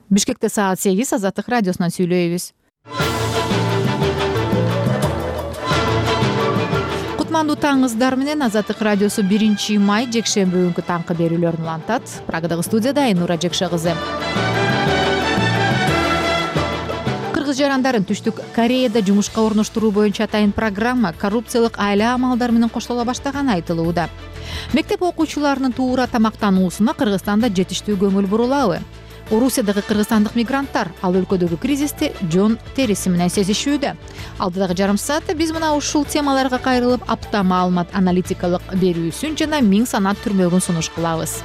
Бишкекте саат 8 Азаттык радиосунан сүйлөйбүз. Кутмандуу таңыңыздар менен Азаттык радиосу 1-май жекшемби күнкү таңкы берүүлөрүн улантат. Прагадагы студияда Айнура Жекше кызы. Кыргыз жарандарын Түштүк Кореяда жумушка орноштуруу боюнча атайын программа коррупциялык айла амалдар менен коштола баштаганы айтылууда. Мектеп окуучуларынын туура тамактануусуна Кыргызстанда жетиштүү көңүл бурулабы? Орусиядагы кыргызстандык мигранттар ал өлкөдөгү кризисти жон териси менен сезишүүдө. Алдыдагы жарым саатта биз мына ушул темаларга кайрылып, апта маалымат аналитикалык берүүсүн жана 1000 санат түрмөгүн сунуш кылабыз.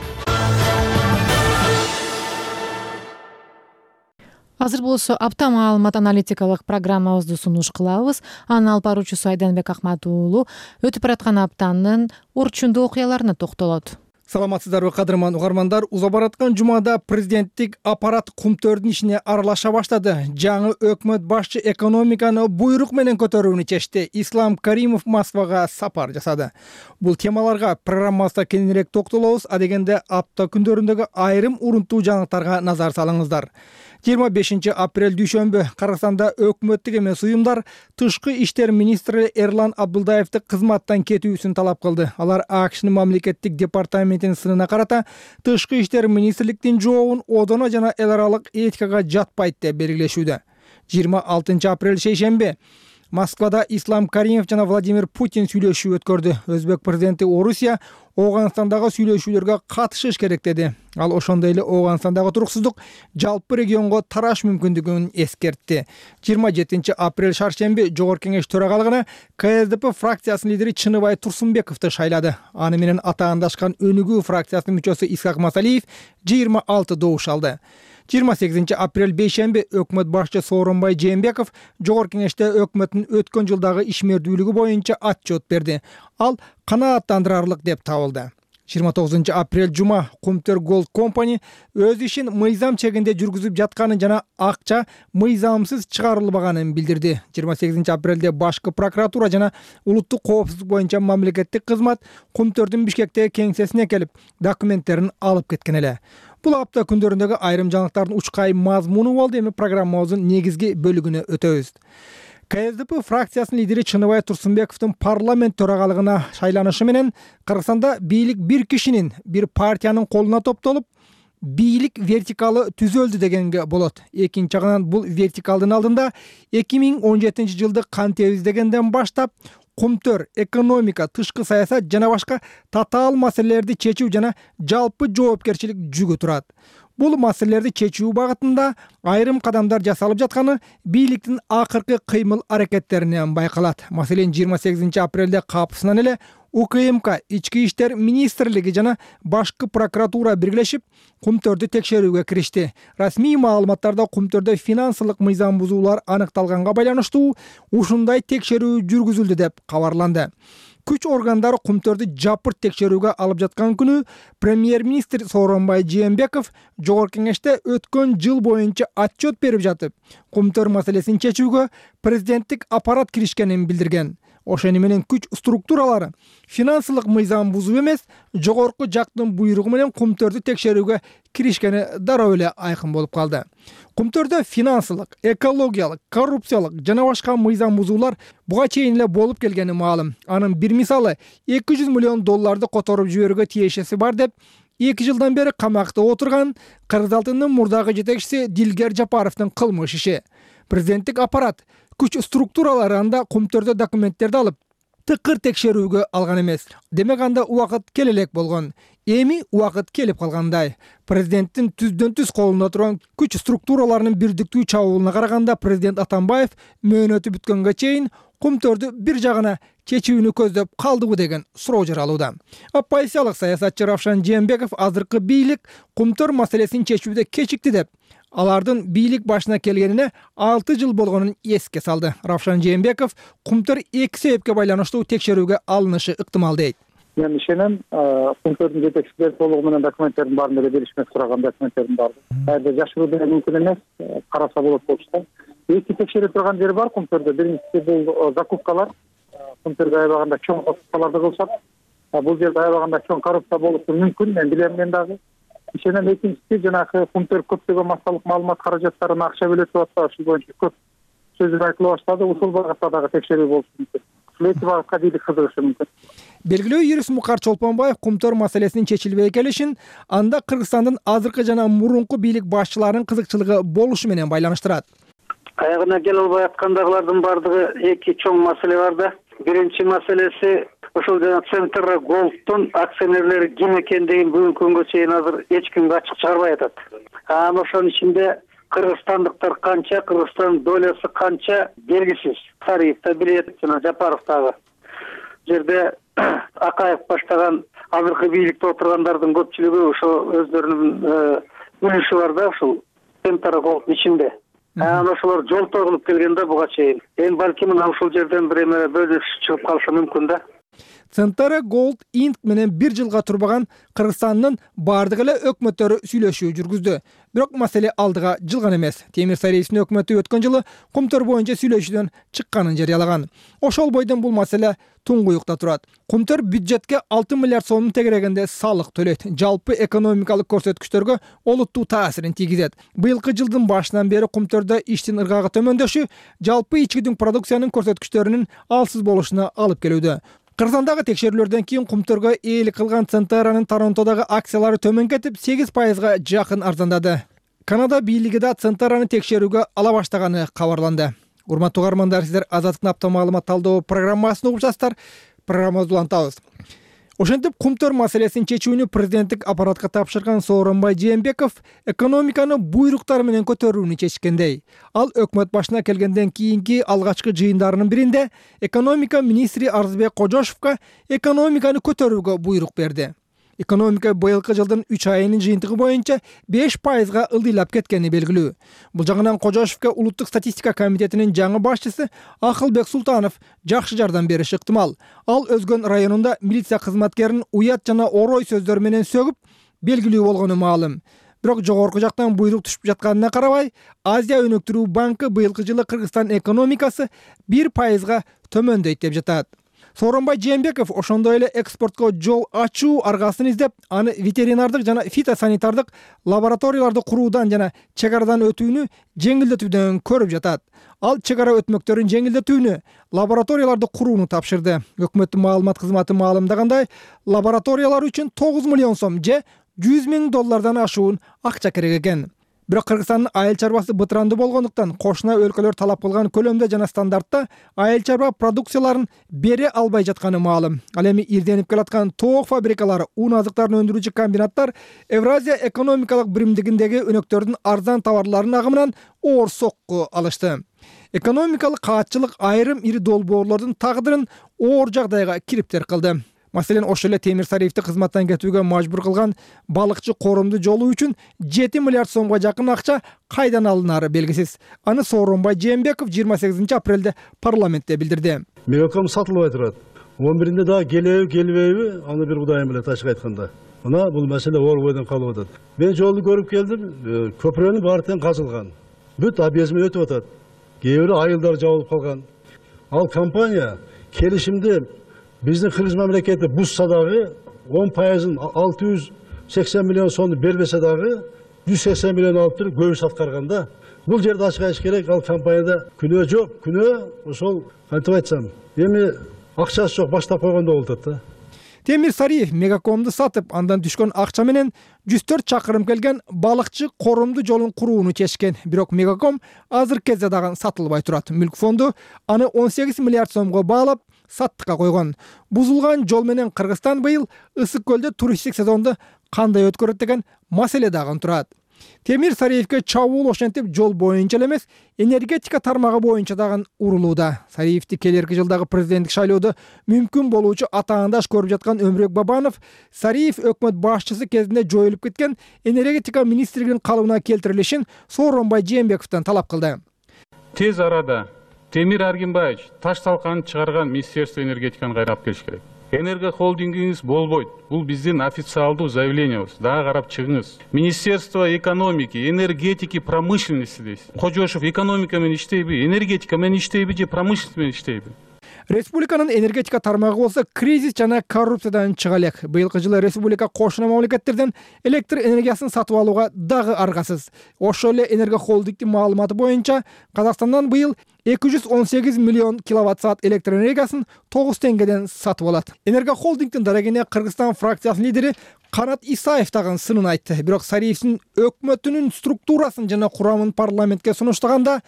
Азыр болсо апта маалымат аналитикалык программабызды сунуш кылабыз. Анын алып баруучусу Айданбек Акмат уулу өтүп бараткан аптанын орчундуу окуяларына токтолот. Саламатсыздарбы кадырман угармандар. Уза бараткан жумада президенттик аппарат кумтөрдүн ишине аралаша баштады. Жаңы өкмөт башчы экономиканы буйрук менен көтөрүүнү чечти. Ислам Каримов Москвага сапар жасады. Бул темаларга программабызда кененирээк токтолобуз. Адегенде апта күндөрүндөгү айрым урунтуу жаңылыктарга назар салыңыздар. 25 апрель дүйшөмбү Кыргызстанда өкмөттүк эмес уюмдар тышкы иштер министри Эрлан Абдулдаевди кызматтан кетүүсүн талап кылды. Алар АКШнын мамлекеттик департаментинин сынына карата тышкы иштер министрликтин жообун одоно жана эл аралык этикага жатпайт деп белгилешүүдө. 26 апрель шейшемби Москвада Ислам Каримов жана Владимир Путин сүйлөшүү өткөрдү. Өзбек президенти Орусия Ооганстандагы сүйлөшүүлөргө катышыш керек деди. Ал ошондой эле Ооганстандагы туруксуздук жалпы регионго тараш мүмкүндүгүн эскертти. 27 апрель шаршемби Жогорку Кеңеш төрагалыгына КСДП фракциясынын лидери Чыныбай Турсунбековду шайлады. Аны менен атаандашкан Өнүгүү фракциясынын мүчөсү Исхак Масалиев 26 добуш алды. 28 апрель бейшемби өкмөт башчы Сооронбай Жээнбеков Жогорку Кеңеште өкмөттүн өткөн жылдагы ишмердүүлүгү боюнча отчет берди. Ал канааттандырарлык деп табылды. 29 апрель жума Кумтөр Gold Company өз ишин мыйзам чегинде жүргүзүп жатканын жана акча мыйзамсыз чыгарылбаганын билдирди. 28 апрелде башкы прокуратура жана улуттук коопсуздук боюнча мамлекеттик кызмат Кумтөрдүн Бишкектеги кеңсесине келип документтерин алып кеткен эле. Бул апта күндөрүндөгү айрым жаңылыктардын учкай мазмуну болду. Эми программабыздын негизги бөлүгүнө өтөбүз. КСДП фракциясынын лидери Чыныбай Турсунбековдун парламент төрагалыгына шайланышы менен Кыргызстанда бийлик бир кишинин, бир партиянын колуна топтолуп, бийлик вертикалы түзөлдү дегенге болот. Экинчи жагынан бул вертикалдын алдында 2017 жылды кантебиз дегенден баштап Кумтөр, экономика, тышкы саясат жана башка татаал маселелерди чечүү жана жалпы жоопкерчилик жүгү турат. Бул маселелерди чечүү багытында айрым кадамдар жасалып жатканы бийликтин акыркы кыймыл аракеттеринен байкалат. Маселен, 28 апрелде капысынан эле УКМК, Ички иштер министрлиги жана башкы прокуратура биргелешип Кумтөрдү текшерүүгө киришти. Расмий маалыматтарда Кумтөрдө финансылык мыйзам бузуулар аныкталганга байланыштуу ушундай текшерүү жүргүзүлдү деп кабарланды. Күч органдары Кумтөрдү жапырт текшерүүгө алып жаткан күнү премьер-министр Сооронбай Жээнбеков Жогорку Кеңеште өткөн жыл боюнча отчет берип жатып, Кумтөр маселесин чечүүгө президенттик аппарат киришкенин билдирген. Ошону менен күч структуралары финансылык мыйзам бузуу эмес, жогорку жактын буйругу менен Кумтөрдү текшерүүгө киришкени дароо эле айкын болуп калды. Кумтөрдө финансылык, экологиялык, коррупциялык жана башка мыйзам бузуулар буга чейин эле болуп келгени маалым. Анын бир мисалы $200 миллион которуп жиберүүгө тиешеси бар деп 2 жылдан бери камакта отурган Кыргыз алтынынын мурдагы жетекчиси Дилгер Жапаровдун кылмыш иши. Президенттик аппарат күч структуралары анда Кумтөрдө документтерди алып, тыкыр текшерүүгө алган эмес. Демек анда убакыт келе элек болгон. Эми убакыт келип калгандай. Президенттин түздөн-түз колунда турган күч структураларынын бирдиктүү чабуулуна караганда президент Атамбаев мөөнөтү бүткөнгө чейин Кумтөрдү бир жагына чечүүнү көздөп калдыбы деген суроо жаралууда. Оппозициялык саясатчы Равшан Жээнбеков азыркы бийлик Кумтөр маселесин чечүүдө кечикти деп, алардын бийлик башына келгенине 6 жыл болгонун эске салды. Равшан Жээнбеков Кумтөр 2 себепке байланыштуу текшерүүгө алынышы ыктымал дейт. Мен ишенем, Кумтөрдүн жетекчилери толугу менен документтердин баарын эле беришмек сураган документтердин баары. Кайда жашыруу деле мүмкүн эмес, караса болот болчу. Эки текшере турган жери бар Кумтөрдө. Биринчиси бул закупкалар. Кумтөргө аябаганда чоң закупкаларды кылышат. Бул жерде аябаганда чоң коррупция болушу мүмкүн, мен билем мен дагы. ишенем. Экинчиси жанагы Кумтөр көптөгөн массалык маалымат каражаттарына акча бөлөтүп атпайбы, ушул боюнча көп сөздөр айтыла баштады. Ушул багытта дагы текшерүү болушу мүмкүн. Ушул эки багытка бийлик кызыгышы мүмкүн. Белгилүү юрист Мукар Чолпонбаев Кумтөр маселесинин чечилбей келишин анда Кыргызстандын азыркы жана мурунку бийлик башчыларынын кызыкчылыгы болушу менен байланыштырат. Аягына келе албай аткандагылардын баардыгы эки чоң маселе бар да. Биринчи маселеси ошол жана Центр Голдтун акционерлери ким экендигин бүгүнкү күнгө чейин азыр эч кимге ачык чыгарбай атат. Анан ошонун ичинде кыргызстандыктар канча, Кыргызстандын долясы канча белгисиз. Сариев да билет, жана Жапаров дагы. Жерде Акаев баштаган азыркы бийликте отургандардын көпчүлүгү ошо өздөрүнүн үлүшү бар да ушул Центр Голдтун ичинде. Анан ошолор жолтоо кылып келген да буга чейин. Эми балким мына ушул жерден бир эме бөлүш чыгып калышы мүмкүн да. Центр Голд Инк менен 1 жылга турбаган Кыргызстандын бардык эле өкмөттөрү сүйлөшүү жүргүздү. Бирок маселе алдыга жылган эмес. Темир Сариевдин өкмөтү өткөн жылы Кумтөр боюнча сүйлөшүүдөн чыкканын жарыялаган. Ошол бойдон бул маселе туңгуюкта турат. Кумтөр бюджетке 6 миллиард сомдун тегерегинде салык төлөйт. Жалпы экономикалык көрсөткүчтөргө олуттуу таасирин тийгизет. Быйылкы жылдын башынан бери Кумтөрдө иштин ыргагы төмөндөшү жалпы ички дүң продукциянын көрсөткүчтөрүнүн алсыз болушуна алып келүүдө. Кыргызстандагы текшерүүлөрдөн кийин Кумтөргө ээлик кылган Центранын Торонтодогу акциялары төмөн кетип 8%га жакын арзандады. Канада бийлиги да Центранын текшерүүгө ала баштаганы кабарланды. Урматтуу угармандар, сиздер Азаттык апта маалымат талдоо программасын угуп жатасыздар. Программабызды улантабыз. Ошентип Кумтөр маселесин чечүүнү президенттик аппаратка тапшырган Сооронбай Жээнбеков экономиканы буйруктар менен көтөрүүнү чечкендей. Ал өкмөт башына келгенден кийинки алгачкы жыйындарынын биринде экономика министри Арзыбек Кожошовго экономиканы көтөрүүгө буйрук берди. Экономика быйылкы жылдын 3 айынын жыйынтыгы боюнча 5%га ылдыйлап кеткени белгилүү. Бул жагынан Кожошовго улуттук статистика комитетинин жаңы башчысы Акылбек Султанов жакшы жардам бериши ыктымал. Ал Өзгөн районунда милиция кызматкерин уят жана орой сөздөр менен сөгүп белгилүү болгону маалым. Бирок жогорку жактан буйрук түшүп жатканына карабай, Азия өнүктүрүү банкы быйылкы жылы Кыргызстан экономикасы 1%га төмөндөйт деп жатат. Сооронбай Жээнбеков ошондой эле экспортко жол ачуу аргасын издеп, аны ветеринардык жана фитосанитардык лабораторияларды куруудан жана чек арадан өтүүнү жеңилдетүүдөн көрүп жатат. Ал чек ара өтмөктөрүн жеңилдетүүнү, лабораторияларды курууну тапшырды. Өкмөттүн маалымат кызматы маалымдагандай, лабораториялар үчүн 9 миллион сом же $100 000 ашуун акча керек экен. Бирок Кыргызстандын айыл чарбасы бытырандуу болгондуктан кошуна өлкөлөр талап кылган көлөмдө жана стандартта айыл чарба продукцияларын бере албай жатканы маалым. Ал эми ирденип келаткан тоок фабрикалары, ун азыктарын өндүрүүчү комбинаттар Евразия экономикалык биримдигиндеги өнөктөрдүн арзан товарларынын агымынан оор сокку алышты. Экономикалык каатчылык айрым ири долбоорлордун тагдырын оор жагдайга кириптер кылды. Маселен, ошол эле Темир Сариевди кызматтан кетүүгө мажбур кылган балыкчы коромду жолу үчүн 7 миллиард сомго жакын акча кайдан алынары белгисиз. Аны Сооронбай Жээнбеков 28 апрелде парламентте билдирди. Мегаком сатылбай турат. 11-inde дагы келеби, келбейби, аны бир Кудайым билет ачык айтканда. Мына бул маселе оор бойдон калып атат. Мен жолду көрүп келдим, көпүрөнүн баары тең казылган. Бүт объездме өтүп атат. Кээ бири айылдар жабылып калган. Ал компания келишимди биздин Кыргыз мамлекети бузса дагы 10%-ын 680 миллион сомду бербесе дагы 180 миллион алып туруп көбүс аткарганда, бул жерде ачык айтыш керек, ал компанияда күнөө жок. Күнөө ошол кантип айтсам, эми акчасы жок баштап койгондо болуп атат да. Темир Сариев Мегакомду сатып, андан түшкөн акча менен 104 чакырым келген балыкчы коромду жолун курууну чечкен. Бирок Мегаком азыркы кезде дагы сатылбай турат. Мүлк фонду аны 18 миллиард сомго баалап саттыкка койгон. Бузулган жол менен Кыргызстан быйыл ысык көлдө туристтик сезонду кандай өткөрөт деген маселе дагы турат. Темир Сариевге чабуул ошентип жол боюнча эле эмес, энергетика тармагы боюнча дагы урулууда. Сариевди келерки жылдагы президенттик шайлоодо мүмкүн болуучу атаандаш көрүп жаткан Өмүрөк Бабанов Сариев өкмөт башчысы кезинде жоюлуп кеткен энергетика министрлигинин калыбына келтирилишин Сооронбай Жээнбековдон талап кылды. Тез арада Темир Аргимбаевич таш талканын чыгарган Министерство энергетиканы кайра алып келиш керек. Энергохолдингиңиз болбойт. Бул биздин официалдуу заявлениябыз. Дагы карап чыгыңыз. Министерство экономики, энергетики, промышленности дейсиз. Кожошов экономика менен иштейби, энергетика менен иштейби же промышленность менен иштейби? Республиканын энергетика тармагы болсо кризис жана коррупциядан чыга элек. Быйылкы жылы республика кошуна мамлекеттерден электр энергиясын сатып алууга дагы аргасыз. Ошол эле Энерго холдингдин маалыматы боюнча Казакстандан быйыл 218 миллион киловатт-саат электр энергиясын 9 теңгеден сатып алат. Энерго холдингдин дарегине Кыргызстан фракциясынын лидери Канат Исаев дагы сынын айтты. Бирок Сариевдин өкмөтүнүн структурасын жана курамын парламентке сунуштаганда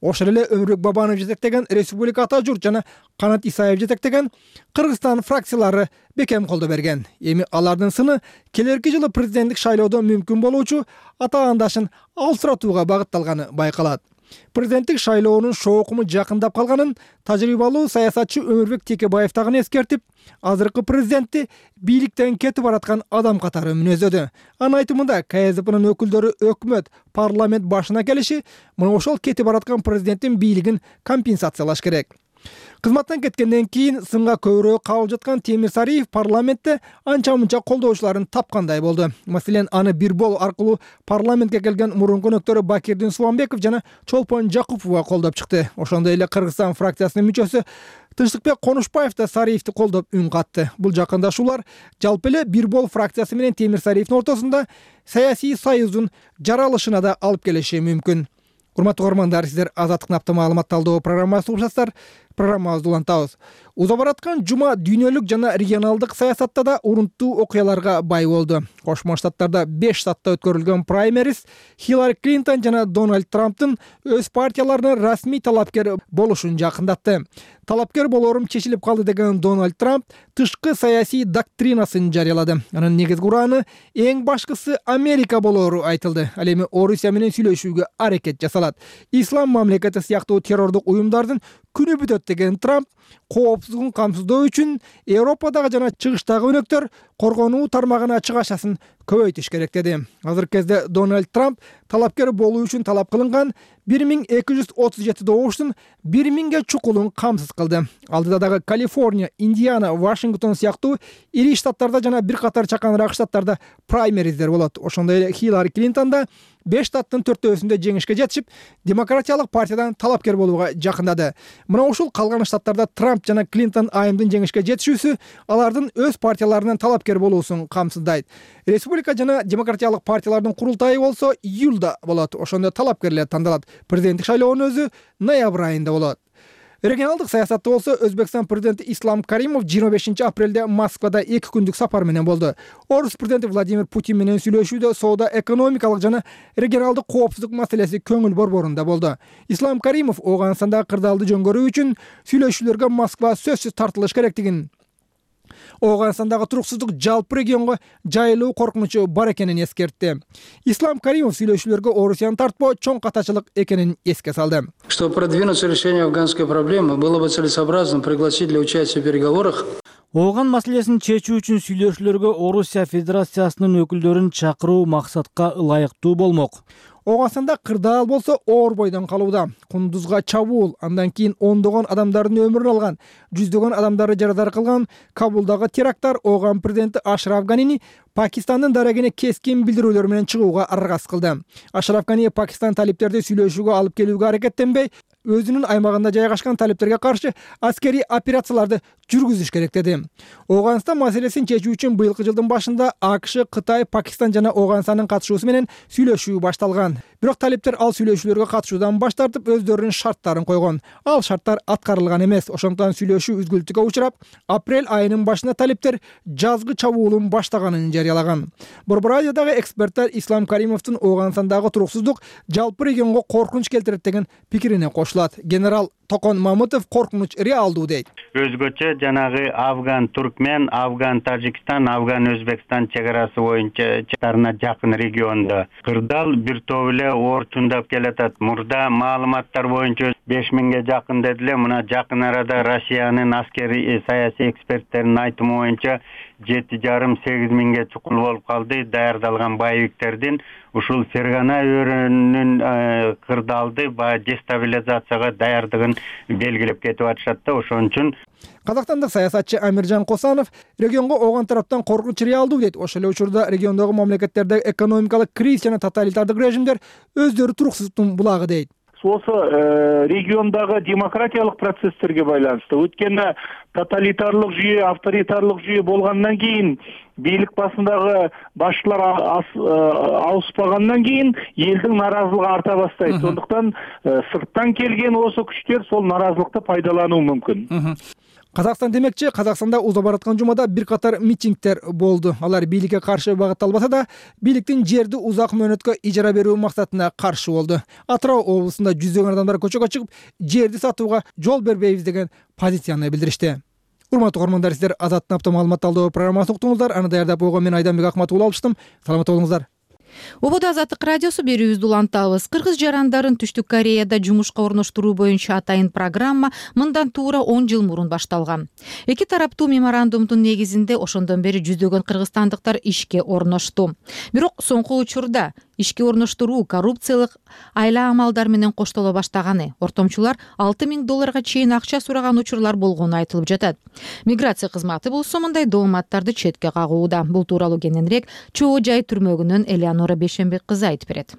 ошол эле Өмүрбек Бабанов жетектеген Республика Ата журт жана Канат Исаев жетектеген Кыргызстан фракциялары бекем колдоо берген. Эми алардын сыны келерки жылы президенттик шайлоодо мүмкүн болуучу атаандашын алсыратууга багытталганы байкалат. Президенттик шайлоонун шоокуму жакындап калганын тажрыйбалуу саясатчы Өмүрбек Текебаев дагы эскертип, азыркы президентти бийликтен кетип бараткан адам катары мүнөздөдү. Анын айтымында КСДПнын өкүлдөрү өкмөт, парламент башына келиши мына ошол кетип бараткан президенттин бийлигин компенсациялаш керек. Кызматтан кеткенден кийин сынга көбүрөөк кабыл жаткан Темир Сариев парламентте анча-мынча колдоочуларын тапкандай болду. Маселен, аны бир бол аркылуу парламентке келген мурунку өнөктөрү Бакирдин Субанбеков жана Чолпон Жакупова колдоп чыкты. Ошондой эле Кыргызстан фракциясынын мүчөсү Тынчтыкбек Конушбаев да Сариевди колдоп үн катты. Бул жакындашуулар жалпы эле бир бол фракциясы менен Темир Сариевдин ортосунда саясий союздун жаралышына да алып келиши мүмкүн. Урматтуу угармандар, сиздер Азаттык апта маалымат талдоо программасы угушасыздар. Программабызды улантабыз. Уза бараткан жума дүйнөлүк жана регионалдык саясатта да урунттуу окуяларга бай болду. Кошмо Штаттарда 5 штатта өткөрүлгөн праймериз Хиллари Клинтон жана Дональд Трамптын өз партияларына расмий талапкер болушун жакындатты. Талапкер болорум чечилип калды деген Дональд Трамп тышкы саясий доктринасын жарыялады. Анын негизги ураны эң башкысы Америка болору айтылды. Ал эми Орусия менен сүйлөшүүгө аракет жасалат. Ислам мамлекети сыяктуу террордук уюмдардын күнү бүтөт деген Трамп коопсуздугун камсыздоо үчүн Европадагы жана чыгыштагы өнөктөр коргонуу тармагына чыгашасын көбөйтүш керек деди. Азыркы кезде Дональд Трамп талапкер болуу үчүн талап кылынган 1237 добуштун 1000ге чукулун камсыз кылды. Алдыда дагы Калифорния, Индиана, Вашингтон сыяктуу ири штаттарда жана бир катар чаканыраак штаттарда праймериздер болот. Ошондой эле Хиллари Клинтон да 5 штаттын 4-өсүндө жеңишке жетишип, демократиялык партиядан талапкер болууга жакындады. Мына ушул калган штаттарда Трамп жана Клинтон айымдын жеңишке жетишүүсү алардын өз партияларынан талапкер болуусун камсыздайт. Республика жана демократиялык партиялардын курултайы болсо июлда болот. Ошондо талапкерлер тандалат. Президенттик шайлоонун өзү ноябрь айында болот. Регионалдык саясатта болсо Өзбекстан президенти Ислам Каримов 25 апрелде Москвада 2 күндүк сапар менен болду. Орус президенти Владимир Путин менен сүйлөшүүдө соода, экономикалык жана регионалдык коопсуздук маселеси көңүл борборунда болду. Ислам Каримов Ооганстандагы кырдаалды жөнгөрүү үчүн сүйлөшүүлөргө Москва сөзсүз тартылыш керектигин, Ооганстандагы туруксуздук жалпы регионго жайылуу коркунучу бар экенин эскертти. Ислам Каримов сүйлөшүүлөргө Орусияны тартпоо чоң катачылык экенин эске салды. Чтобы продвинуться решение афганской проблемы, было бы целесообразно пригласить для участия в переговорах Ооган маселесин чечүү үчүн сүйлөшүүлөргө Орусия Федерациясынын өкүлдөрүн чакыруу максатка ылайыктуу болмок. Ооганстанда кырдаал болсо оор бойдон калууда. Кундузга чабуул, андан кийин ондогон адамдардын өмүрүн алган, жүздөгөн адамдарды жарадар кылган Кабулдагы теракттар Ооган президенти Ашраф Ганини Пакистандын дарегине кескин билдирүүлөр менен чыгууга аргасыз кылды. Ашраф Гани Пакистан талиптерди сүйлөшүүгө алып келүүгө аракеттенбей, өзүнүн аймагында жайгашкан талиптерге каршы аскерий операцияларды жүргүзүш керек деди. Ооганстан маселесин чечүү үчүн быйылкы жылдын башында АКШ, Кытай, Пакистан жана Ооганстандын катышуусу менен сүйлөшүү башталган. Бирок талиптер ал сүйлөшүүлөргө катышуудан баш тартып, өздөрүнүн шарттарын койгон. Ал шарттар аткарылган эмес. Ошондуктан сүйлөшүү үзгүлтүккө учурап, апрель айынын башында талиптер жазгы чабуулун баштаганын жарыялаган. Борбор Азиядагы эксперттер Ислам Каримовдун Ооганстандагы туруксуздук жалпы регионго коркунуч келтирет деген пикирине кошулат. Генерал Токон Мамытов коркунуч реалдуу дейт. Өзгөчө жанагы Афган-Туркмен, Афган-Тажикстан, Афган-Өзбекстан чек арасы боюнча чактарына жакын региондо кырдаал бир топ эле ортундап келатат. Мурда маалыматтар боюнча 5000ге жакын дедиле. Мына жакын арада Россиянын аскери саясий эксперттеринин айтымы боюнча 7,5-8 миңге чукул болуп калды. Даярдалган боевиктердин ушул Фергана өрүнүн кырдаалды дестабилизацияга даярдыгын белгилеп кетип атышат да. Ошон үчүн Казакстандык саясатчы Амиржан Косанов регионго Ооган тараптан коркунуч реалдуу дейт. Ошол эле учурда региондогу мамлекеттердеги экономикалык кризис жана тоталитардык режимдер өздөрү туруксуздуктун булагы дейт. осы региондагы демократиялык процесстерге байланыштуу. Өткөндө тоталитарлык жүйө, авторитарлык жүйө болгондон кийин, бийлик басындагы башчылар ауыспагандан кийин элдин наразылыгы арта баштайт. Сондуктан сырттан келген осы күчтөр сол наразылыкты пайдалануу мүмкүн. Казакстан демекчи, Казакстанда уза бараткан жумада бир катар митингдер болду. Алар бийликке каршы багытталбаса да, бийликтин жерди узак мөөнөткө ижара берүү максатына каршы болду. Атырау облусунда жүздөгөн адамдар көчөгө чыгып, жерди сатууга жол бербейбиз деген позицияны билдиришти. Урматтуу көрөрмандар, сиздер Азаттын апта маалымат талдоо программасын уктуңуздар. Аны даярдап койгон мен Айданбек Акматов алыштым. Саламатта болуңуздар. Убада Азаттык радиосу берүүбүздү улантабыз. Кыргыз жарандарын Түштүк Кореяда жумушка орноштуруу боюнча атайын программа мындан туура 10 жыл мурун башталган. Эки тараптуу меморандумдун негизинде ошондон бери жүздөгөн кыргызстандыктар ишке орношту. Бирок соңку учурда ишке орноштуруу коррупциялык айла амалдар менен коштоло баштаганы, ортомчулар $6,000 чейин акча сураган учурлар болгону айтылып жатат. Миграция кызматы болсо мындай дооматтарды четке кагууда. Бул тууралуу кененирээк Чоо Жай түрмөгүнөн Элеонора Бейшенбек кызы айтып берет.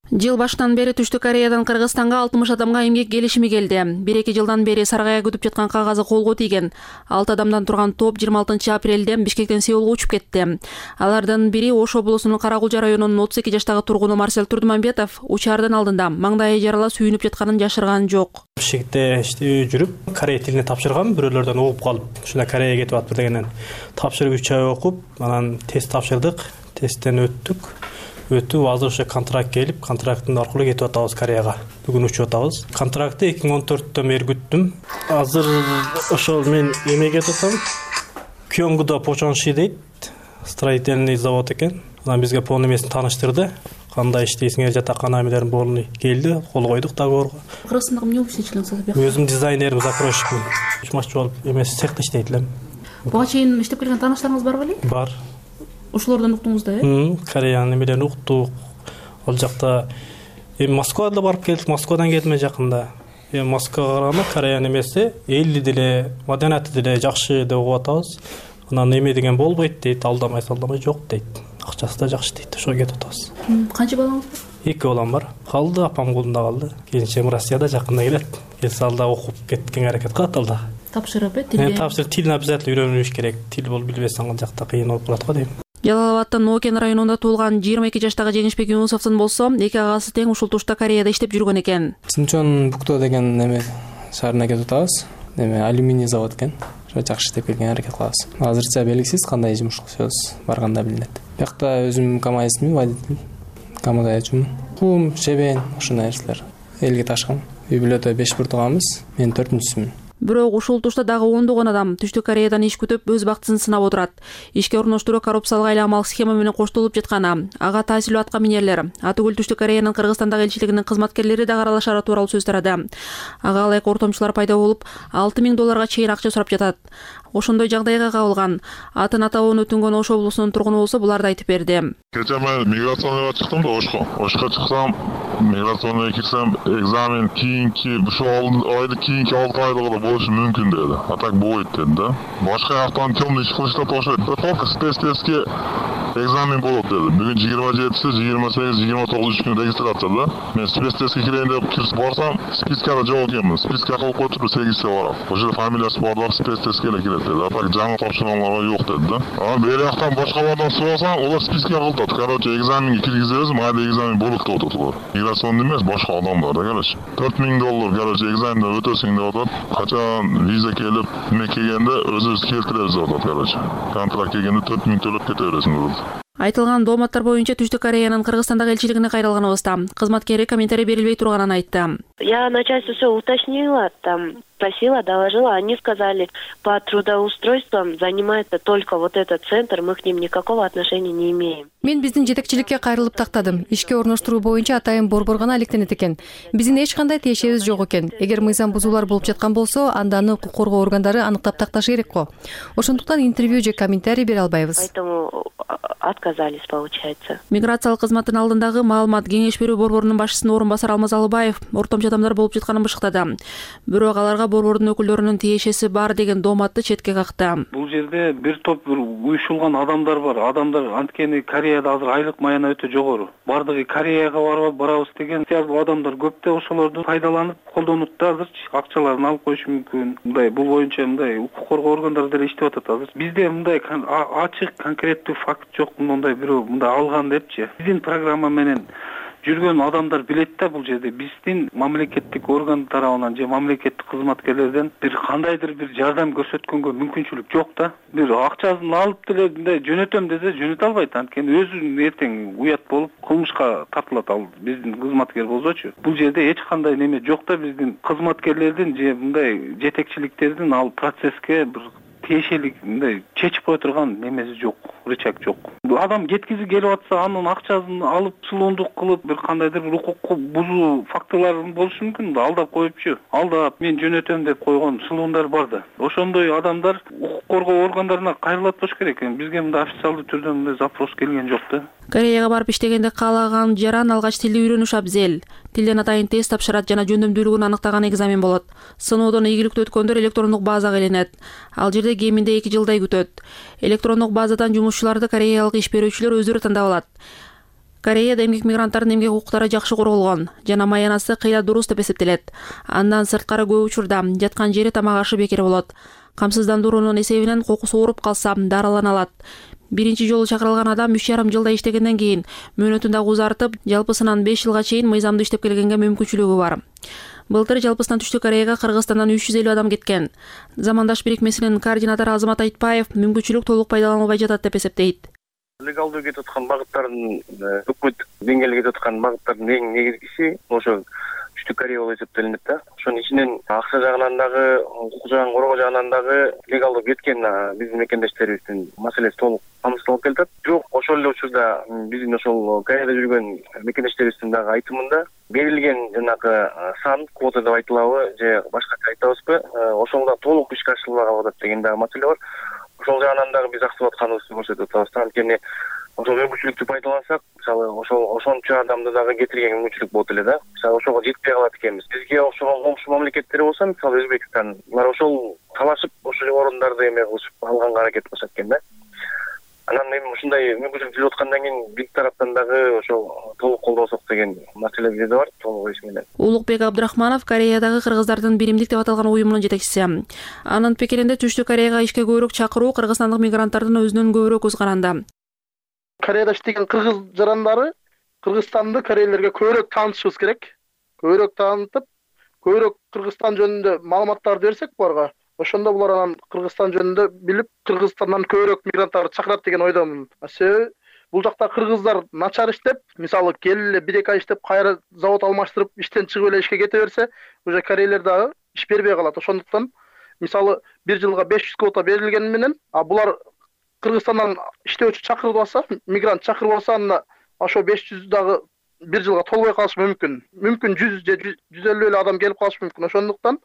Жыл башынан бери Түштүк Кореядан Кыргызстанга 60 адамга эмгек келишими келди. 1-2 жылдан бери саргая күтүп жаткан кагазы колго тийген. 6 адамдан турган топ 26 апрелде Бишкектен Сеулга учуп кетти. Алардын бири Ош облусунун Карагулжа районунун 32 жаштагы тургуну Марсель Турдумамбетов учардын алдында маңдайы жарала сүйүнүп жатканын жашырган жок. Бишкекте жүрүп, корей тилине тапшыргам, бирөөлөрдөн угуп калып, ушунда Кореяга кетип атып дегенден тапшырып 3 ай окуп, анан тест тапшырдык, тесттен өттүк. Өтүп, азыр ошо контракт келип, контракттын аркылуу кетип атабыз Кореяга. Бүгүн учуп атабыз. Контрактты 2014-төн бери күттүм. Азыр ошол мен эмеге кетсем, Кёнгуда Почонши дейт, строительный завод экен. Анан бизге полный эмесин тааныштырды. Кандай иштейсиңер, жатакана эмелерин баарын келди, кол койдук договорго. Кыргызстандагы эмне болуп иштейчилиңиз? Өзүм дизайнерим, закройщикмин. Чумашчы болуп эмес цехте иштейт элем. Буга чейин иштеп келген тааныштарыңыз барбы эле? Бар. Ошолордон уктуңуз да, Кореянын эмелерин уктук. Ал жакта Москвада барып келдик, Москвадан келдим жакында. Москвага караганда Кореянын эмеси элди деле, маданияты деле жакшы деп угуп атабыз. Анан эме деген болбойт дейт, алдамай жок дейт. Акчасы да жакшы дейт, ошого кетип атабыз. Канча балаңыз бар? 2 балам бар. Калды, апам колунда калды. Келинчегим Россияда жакында келет. Келсе алда окуп кеткенге аракет кылат алда. Тапшырып, тилге. Тапшырып, тилин обязательно үйрөнүш керек. Тил болуп билбесең ал жакта кыйын болуп калат го дейм. Жалал Абадтын Нокен районунда туулган 22 жаштагы Жеңишбек Юнусовдун болсо, эки агасы тең ушул тушта Кореяда иштеп жүргөн экен. Синчон Букто деген эме шаарына кетип атабыз. Эме алюминий завод экен. Ошо жакшы иштеп келгенге аракет кылабыз. Азырча белгисиз кандай жумуш кылышабыз, барганда билинет. Биякта өзүм КамАЗчымын, водитель. КамАЗчымын. Кум, шебен, ушундай нерселер. Элге ташкан. Үй бүлөдө 5 буртуганбыз. Мен 4-сүмүн. Бирок ушул тушта дагы ондогон адам Түштүк Кореядан иш күтүп өз бактысын сынап отурат. Ишке орноштуруу коррупциялык айламалык схема менен коштолуп жатканы, ага таасирлүү атка минерлер, Атыгүл Түштүк Кореянын Кыргызстандагы элчилигинин кызматкерлери да аралашары тууралуу сөз тарады. Ага ылайык ортомчулар пайда болуп, $6,000 чейин акча сурап жатат. Ошондой жагдайга кабылган атын атабын өтүнгөн Ош облусунун тургуну болсо буларды айтып берди. Кече мен миграционныйга чыктым да Ошко чыксам, миграционныйга кирсем, экзамен кийинки ушул айды кийинки 6 айда болушу мүмкүн деди. А так болбойт деди да. Башка жактан темный иш кылыштат окшойт. Только спецтестке экзамен болот деди. Бүгүн 27-си, 28, 29 күн регистрация да. Мен спецтестке кирейин деп кирсип барсам, спискада жок экенмин. Списка кылып коюп 8-се барам. Ошо фамилиясы барлар спецтестке эле кирет деди. А так жаңы тапшырганларга жок деди да. Анан бери жактан башкалардан сурасаң, олар списке кылдат. Короче, экзаменге киргизебиз, майда экзамен болот деп атат улар. Миграционный эмес, башка адамдар да, короче. $4,000, короче, экзаменден өтөсүң деп атат. Качан виза келип, эме келгенде өзүбүз келтиребиз деп атат, короче. Контракт келгенде $4,000 төлөп кете бересиң деп атат. Айтылган дооматтар боюнча Түштүк Кореянын Кыргызстандагы элчилигине кайрылганыбызда кызматкери комментарий берилбей турганын айтты. Я начальство все уточнила, там спросила, доложила, они сказали, по трудоустройствам занимается только вот этот центр, мы к ним никакого отношения не имеем. Мен биздин жетекчиликке кайрылып тактадым. Ишке орноштуруу боюнча атайын борбор гана алектенет экен. Биздин эч кандай тиешебиз жок экен. Эгер мыйзам бузуулар болуп жаткан болсо, анда аны укук коргоо органдары аныктап такташы керек го. Ошондуктан интервью же комментарий бере албайбыз. Поэтому отказались, получается. Миграциялык кызматтын алдындагы маалымат кеңеш берүү борборунун башчысынын орун басары Алмаз Алыбаев ортомчу адамдар болуп жатканын бышыктады. Бирок аларга борбордун өкүлдөрүнүн тиешеси бар деген дооматты четке какты. Бул жерде бир топ уюшулган адамдар бар. Адамдар анткени Кореяда азыр айлык маяна өтө жогору. Бардыгы Кореяга барабыз деген сыяктуу адамдар көп да ошолорду пайдаланып колдонут да азырчы акчаларын алып коюшу мүмкүн. Мындай бул боюнча мындай укук коргоо органдары деле иштеп атат азыр. Бизде мындай ачык конкреттүү факт жок, мындай бирөө мындай алган депчи. Биздин программа менен жүргөн адамдар билет да бул жерде биздин мамлекеттик орган тарабынан же мамлекеттик кызматкерлерден бир кандайдыр бир жардам көрсөткөнгө мүмкүнчүлүк жок да. Бир акчасын алып деле мындай жөнөтөм десе жөнөтө албайт. Анткени өзү эртең уят болуп кылмышка тартылат ал биздин кызматкер болсочу. Бул жерде эч кандай неме жок да биздин кызматкерлердин же мындай жетекчиликтердин ал процесске бир тиешелик мындай чечип кое турган немеси жок, рычаг жок. Адам кеткизи келип атса, анын акчасын алып сулуундук кылып, бир кандайдыр бир укукку бузуу фактылары болушу мүмкүн да, алдап коюпчу. Алдап мен жөнөтөм деп койгон сулуундар бар да. Ошондой адамдар укук коргоо органдарына кайрылат болуш керек. Бизге мындай официалдуу түрдө мындай запрос келген жок да. Кореяга барып иштегенде каалаган жаран алгач тилди үйрөнүш абзел. Тилден атайын тест тапшырат жана жөндөмдүүлүгүн аныктаган экзамен болот. Сыноодон ийгиликтүү өткөндөр электрондук базага иленет. Ал жерде кеминде 2 жылдай күтөт. Электрондук базадан жумушчуларды кореялык иш берүүчүлөр өздөрү тандап алат. Кореяда эмгек мигранттардын эмгек укуктары жакшы корголгон жана маянасы кыйла дурус деп эсептелет. Андан сырткары көп учурда жаткан жери тамак ашы бекер болот. Камсыздандыруунун эсебинен кокусу ооруп калса дарылана алат. Биринчи жолу чакырылган адам 3,5 жылда иштегенден кийин мөөнөтүн дагы узартып, жалпысынан 5 жылга чейин мыйзамдуу иштеп келгенге мүмкүнчүлүгү бар. Былтыр жалпысынан Түштүк Кореяга Кыргызстандан 350 адам кеткен. Замандаш бирикмесинин координатору Азамат Айтбаев мүмкүнчүлүк толук пайдаланылбай жатат деп эсептейт. Легалдуу кетип аткан багыттардын өкмөт деңгээлде кетип аткан багыттардын эң негизгиси ошо Түштүк Корея болуп эсептелинет да. Ошонун ичинен акча жагынан дагы, укук жагын коргоо жагынан дагы легалдуу кеткен биздин мекендештерибиздин маселеси толук камсыздалып келатат. Бирок ошол эле учурда биздин ошол Кореяда жүргөн мекендештерибиздин дагы айтымында берилген жанагы сан квота деп айтылабы же башкача айтабызбы, ошол да толук ишке ашырылбаган атат деген дагы маселе бар. Ошол жагынан дагы биз актып атканыбызды көрсөтүп атабыз. Анткени ошол мүмкүнчүлүктү пайдалансак, мисалы ошончо адамды дагы кетирген мүмкүнчүлүк болот эле да. Мисалы ошого жетпей калат экенбиз. Бизге окшогон комшу мамлекеттер болсо, мисалы Өзбекстан, булар ошол талашып ошол орондорду эме кылышып алганга аракет кылышат экен да. Анан эми ушундай мүмкүнчүлүк жүрүп аткандан кийин биз тараптан дагы ошол толук колдосок деген маселе бизде бар, толук иш менен. Улукбек Абдрахманов Кореядагы кыргыздардын биримдик деп аталган уюмунун жетекчиси. Анын пикиринде Түштүк Кореяга ишке көбүрөөк чакыруу кыргызстандык мигранттардын өзүнөн көбүрөөк көз каранды. Кореяда иштеген кыргыз жарандары Кыргызстанды корейлерге көбүрөөк таанытышыбыз керек. Көбүрөөк таанытып, көбүрөөк Кыргызстан жөнүндө маалыматтарды берсек буларга, ошондо булар анан Кыргызстан жөнүндө билип, Кыргызстандан көбүрөөк мигранттарды чакырат деген ойдомун. Себеби бул жакта кыргыздар начар иштеп, мисалы келип эле 1-2 ай иштеп, кайра завод алмаштырып, иштен чыгып эле ишке кете берсе, уже корейлер дагы иш бербей калат. Ошондуктан мисалы 1 жылга 500 квота берилгени менен, булар Кыргызстандан иштөөчү чакырып алса, мигрант чакырып алса, анда ошо 500 дагы 1 жылга толбой калышы мүмкүн. Мүмкүн 100 же 150 эле адам келип калышы мүмкүн. Ошондуктан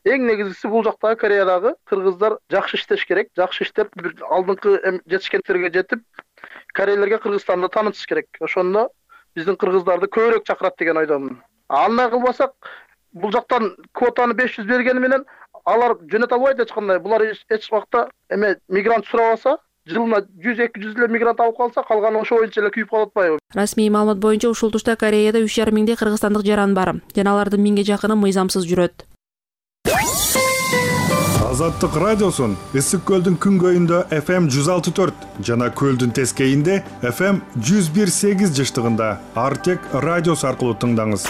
эң негизгиси бул жактагы Кореядагы кыргыздар жакшы иштеш керек. Жакшы иштеп, бир алдыңкы жетишкендерге жетип, корейлерге Кыргызстанды таанытыш керек. Ошондо биздин кыргыздарды көбүрөөк чакырат деген ойдомун. Андай кылбасак, бул жактан квотаны 500 бергени менен алар жөнөтө албайт эч кандай. Булар эч убакта мигрант сурап алса, жылына 100-200 эле мигрант алып калса, калганы ошо боюнча эле күйүп калып атпайбы? Расмий маалымат боюнча ушул тушта Кореяда 3,5 миңдей кыргызстандык жаран бар. Жана алардын 1000ге жакыны мыйзамсыз жүрөт. Азаттык радиосун Ысык көлдүн күнгөйүндө FM 106.4 жана көлдүн тескейинде FM 101.8 жыштыгында Артек радиосу аркылуу тыңдаңыз.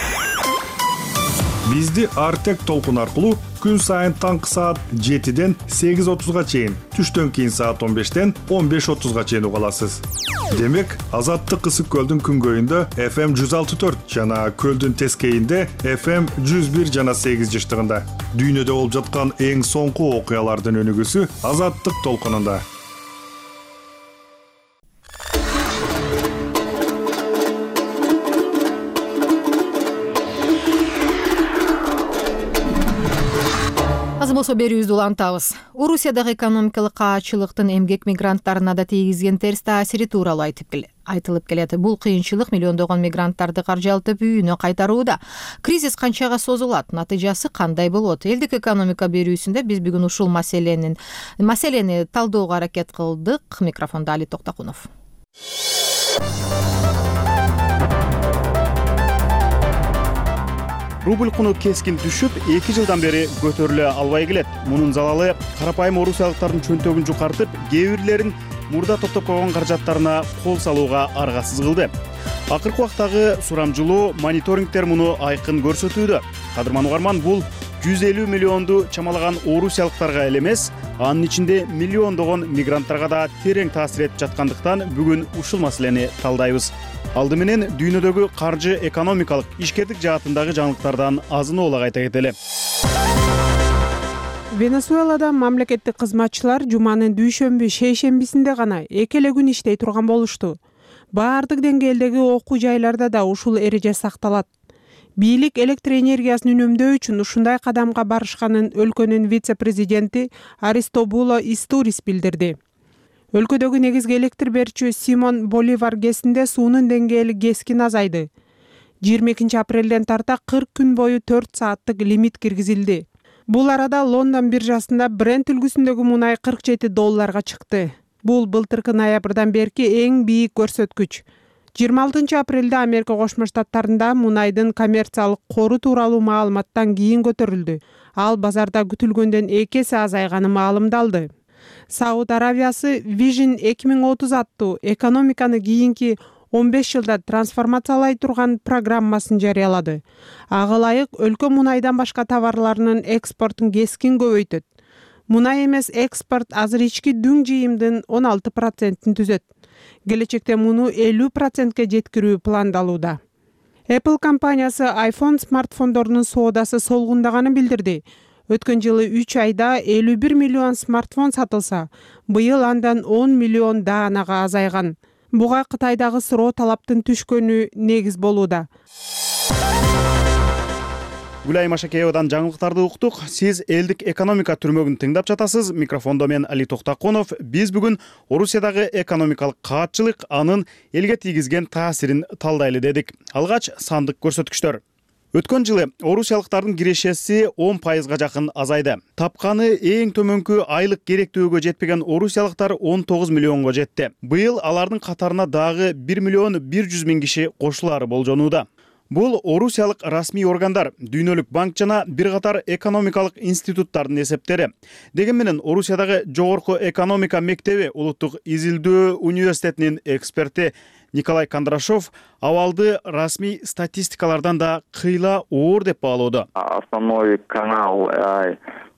Бизди Артек толкун аркылуу күн сайын таңкы саат 7ден 8:30га чейин, түштөн кийин саат 15ден 15:30га чейин уга аласыз. Демек, Азаттык Ысык көлдүн күнгөйүндө FM 106.4 жана көлдүн тескейинде FM 101 жана 8 жыштыгында. Дүйнөдө болуп жаткан эң соңку окуялардын өнүгүүсү Азаттык толкунунда. болсо берүүбүздү улантабыз. Орусиядагы экономикалык каачылыктын эмгек мигранттарына да тийгизген терс таасири тууралуу айтылып келет. Бул кыйынчылык миллиондогон мигранттарды каржылтып үйүнө кайтарууда. Кризис канчага созулат? Натыйжасы кандай болот? Элдик экономика берүүсүндө биз бүгүн ушул маселени талдөөгө аракет кылдык. Микрофондо Али Токтакунов. Рубль куну кескин түшүп, 2 жылдан бери көтөрүлө албай келет. Мунун залалы карапайым орусиялыктардын чөнтөгүн жукартып, кээ бирлерин мурда топтоп койгон каражаттарына кол салууга аргасыз кылды. Акыркы убактагы сурамжылоо, мониторингдер муну айкын көрсөтүүдө. Кадырман угарман, бул 150 миллионду чамалаган орусиялыктарга эле эмес, анын ичинде миллиондогон мигранттарга да терең таасир этип жаткандыктан бүгүн ушул маселени талдайбыз. Алды менен дүйнөдөгү каржы экономикалык ишкердик жаатындагы жаңылыктардан азын-оолак айта кетели. Венесуэлада мамлекеттик кызматчылар жуманын дүйшөмбү шейшембисинде гана 2 эле күн иштей турган болушту. Баардык деңгээлдеги окуу жайларда да ушул эреже сакталат. Бийлик электр энергиясын үнөмдөө үчүн ушундай кадамга барышканын өлкөнүн вице-президенти Аристобуло Истурис билдирди. Өлкөдөгү негизги электр берүүчү Симон Боливар ГЭСинде суунун деңгээли кескин азайды. 22 апрелден тарта 40 күн бою 4 сааттык лимит киргизилди. Бул арада Лондон биржасында Brent үлгүсүндөгү мунай $47 чыкты. Бул былтыркы ноябрдан берки эң бийик көрсөткүч. 26 апрелде Америка Кошмо Штаттарында мунайдын коммерциялык кору тууралуу маалыматтан кийин көтөрүлдү. Ал базарда күтүлгөндөн 2 эсе азайганы маалымдалды. Сауд Аравиясы Vision 2030 аттуу экономиканы кийинки 15 жылда трансформациялай турган программасын жарыялады. Ага ылайык өлкө мунайдан башка товарларынын экспортун кескин көбөйтөт. Мунай эмес экспорт азыр ички дүң жыйымдын 16%-ин түзөт. Келечекте муну 50%-ке жеткирүү пландалууда. Apple компаниясы iPhone смартфондорунун соодасы солгундаганын билдирди. Өткөн жылы 3 айда 51 миллион смартфон сатылса, быйыл андан 10 миллион даанага азайган. Буга Кытайдагы суроо талаптын түшкөнү негиз болууда. Гүлай Машакеевадан жаңылыктарды уктук. Сиз элдик экономика түрмөгүн тыңдап жатасыз. Микрофондо мен Али Токтакунов. Биз бүгүн Орусиядагы экономикалык каатчылык анын элге тийгизген таасирин талдайлы дедик. Алгач сандык көрсөткүчтөр. Өткөн жылы орусиялыктардын кирешеси 10%га жакын азайды. Тапканы эң төмөнкү айлык керектөөгө жетпеген орусиялыктар 19 миллионго жетти. Быйыл алардын катарына дагы 1 миллион 100 миң киши кошулаары болжонууда. Бул орусиялык расмий органдар, Дүйнөлүк банк жана бир катар экономикалык институттардын эсептери. Деген менен Орусиядагы жогорку экономика мектеби Улуттук изилдөө университетинин эксперти Николай Кондрашов абалды расмий статистикалардан да кыйла оор деп баалоодо. Основной канал,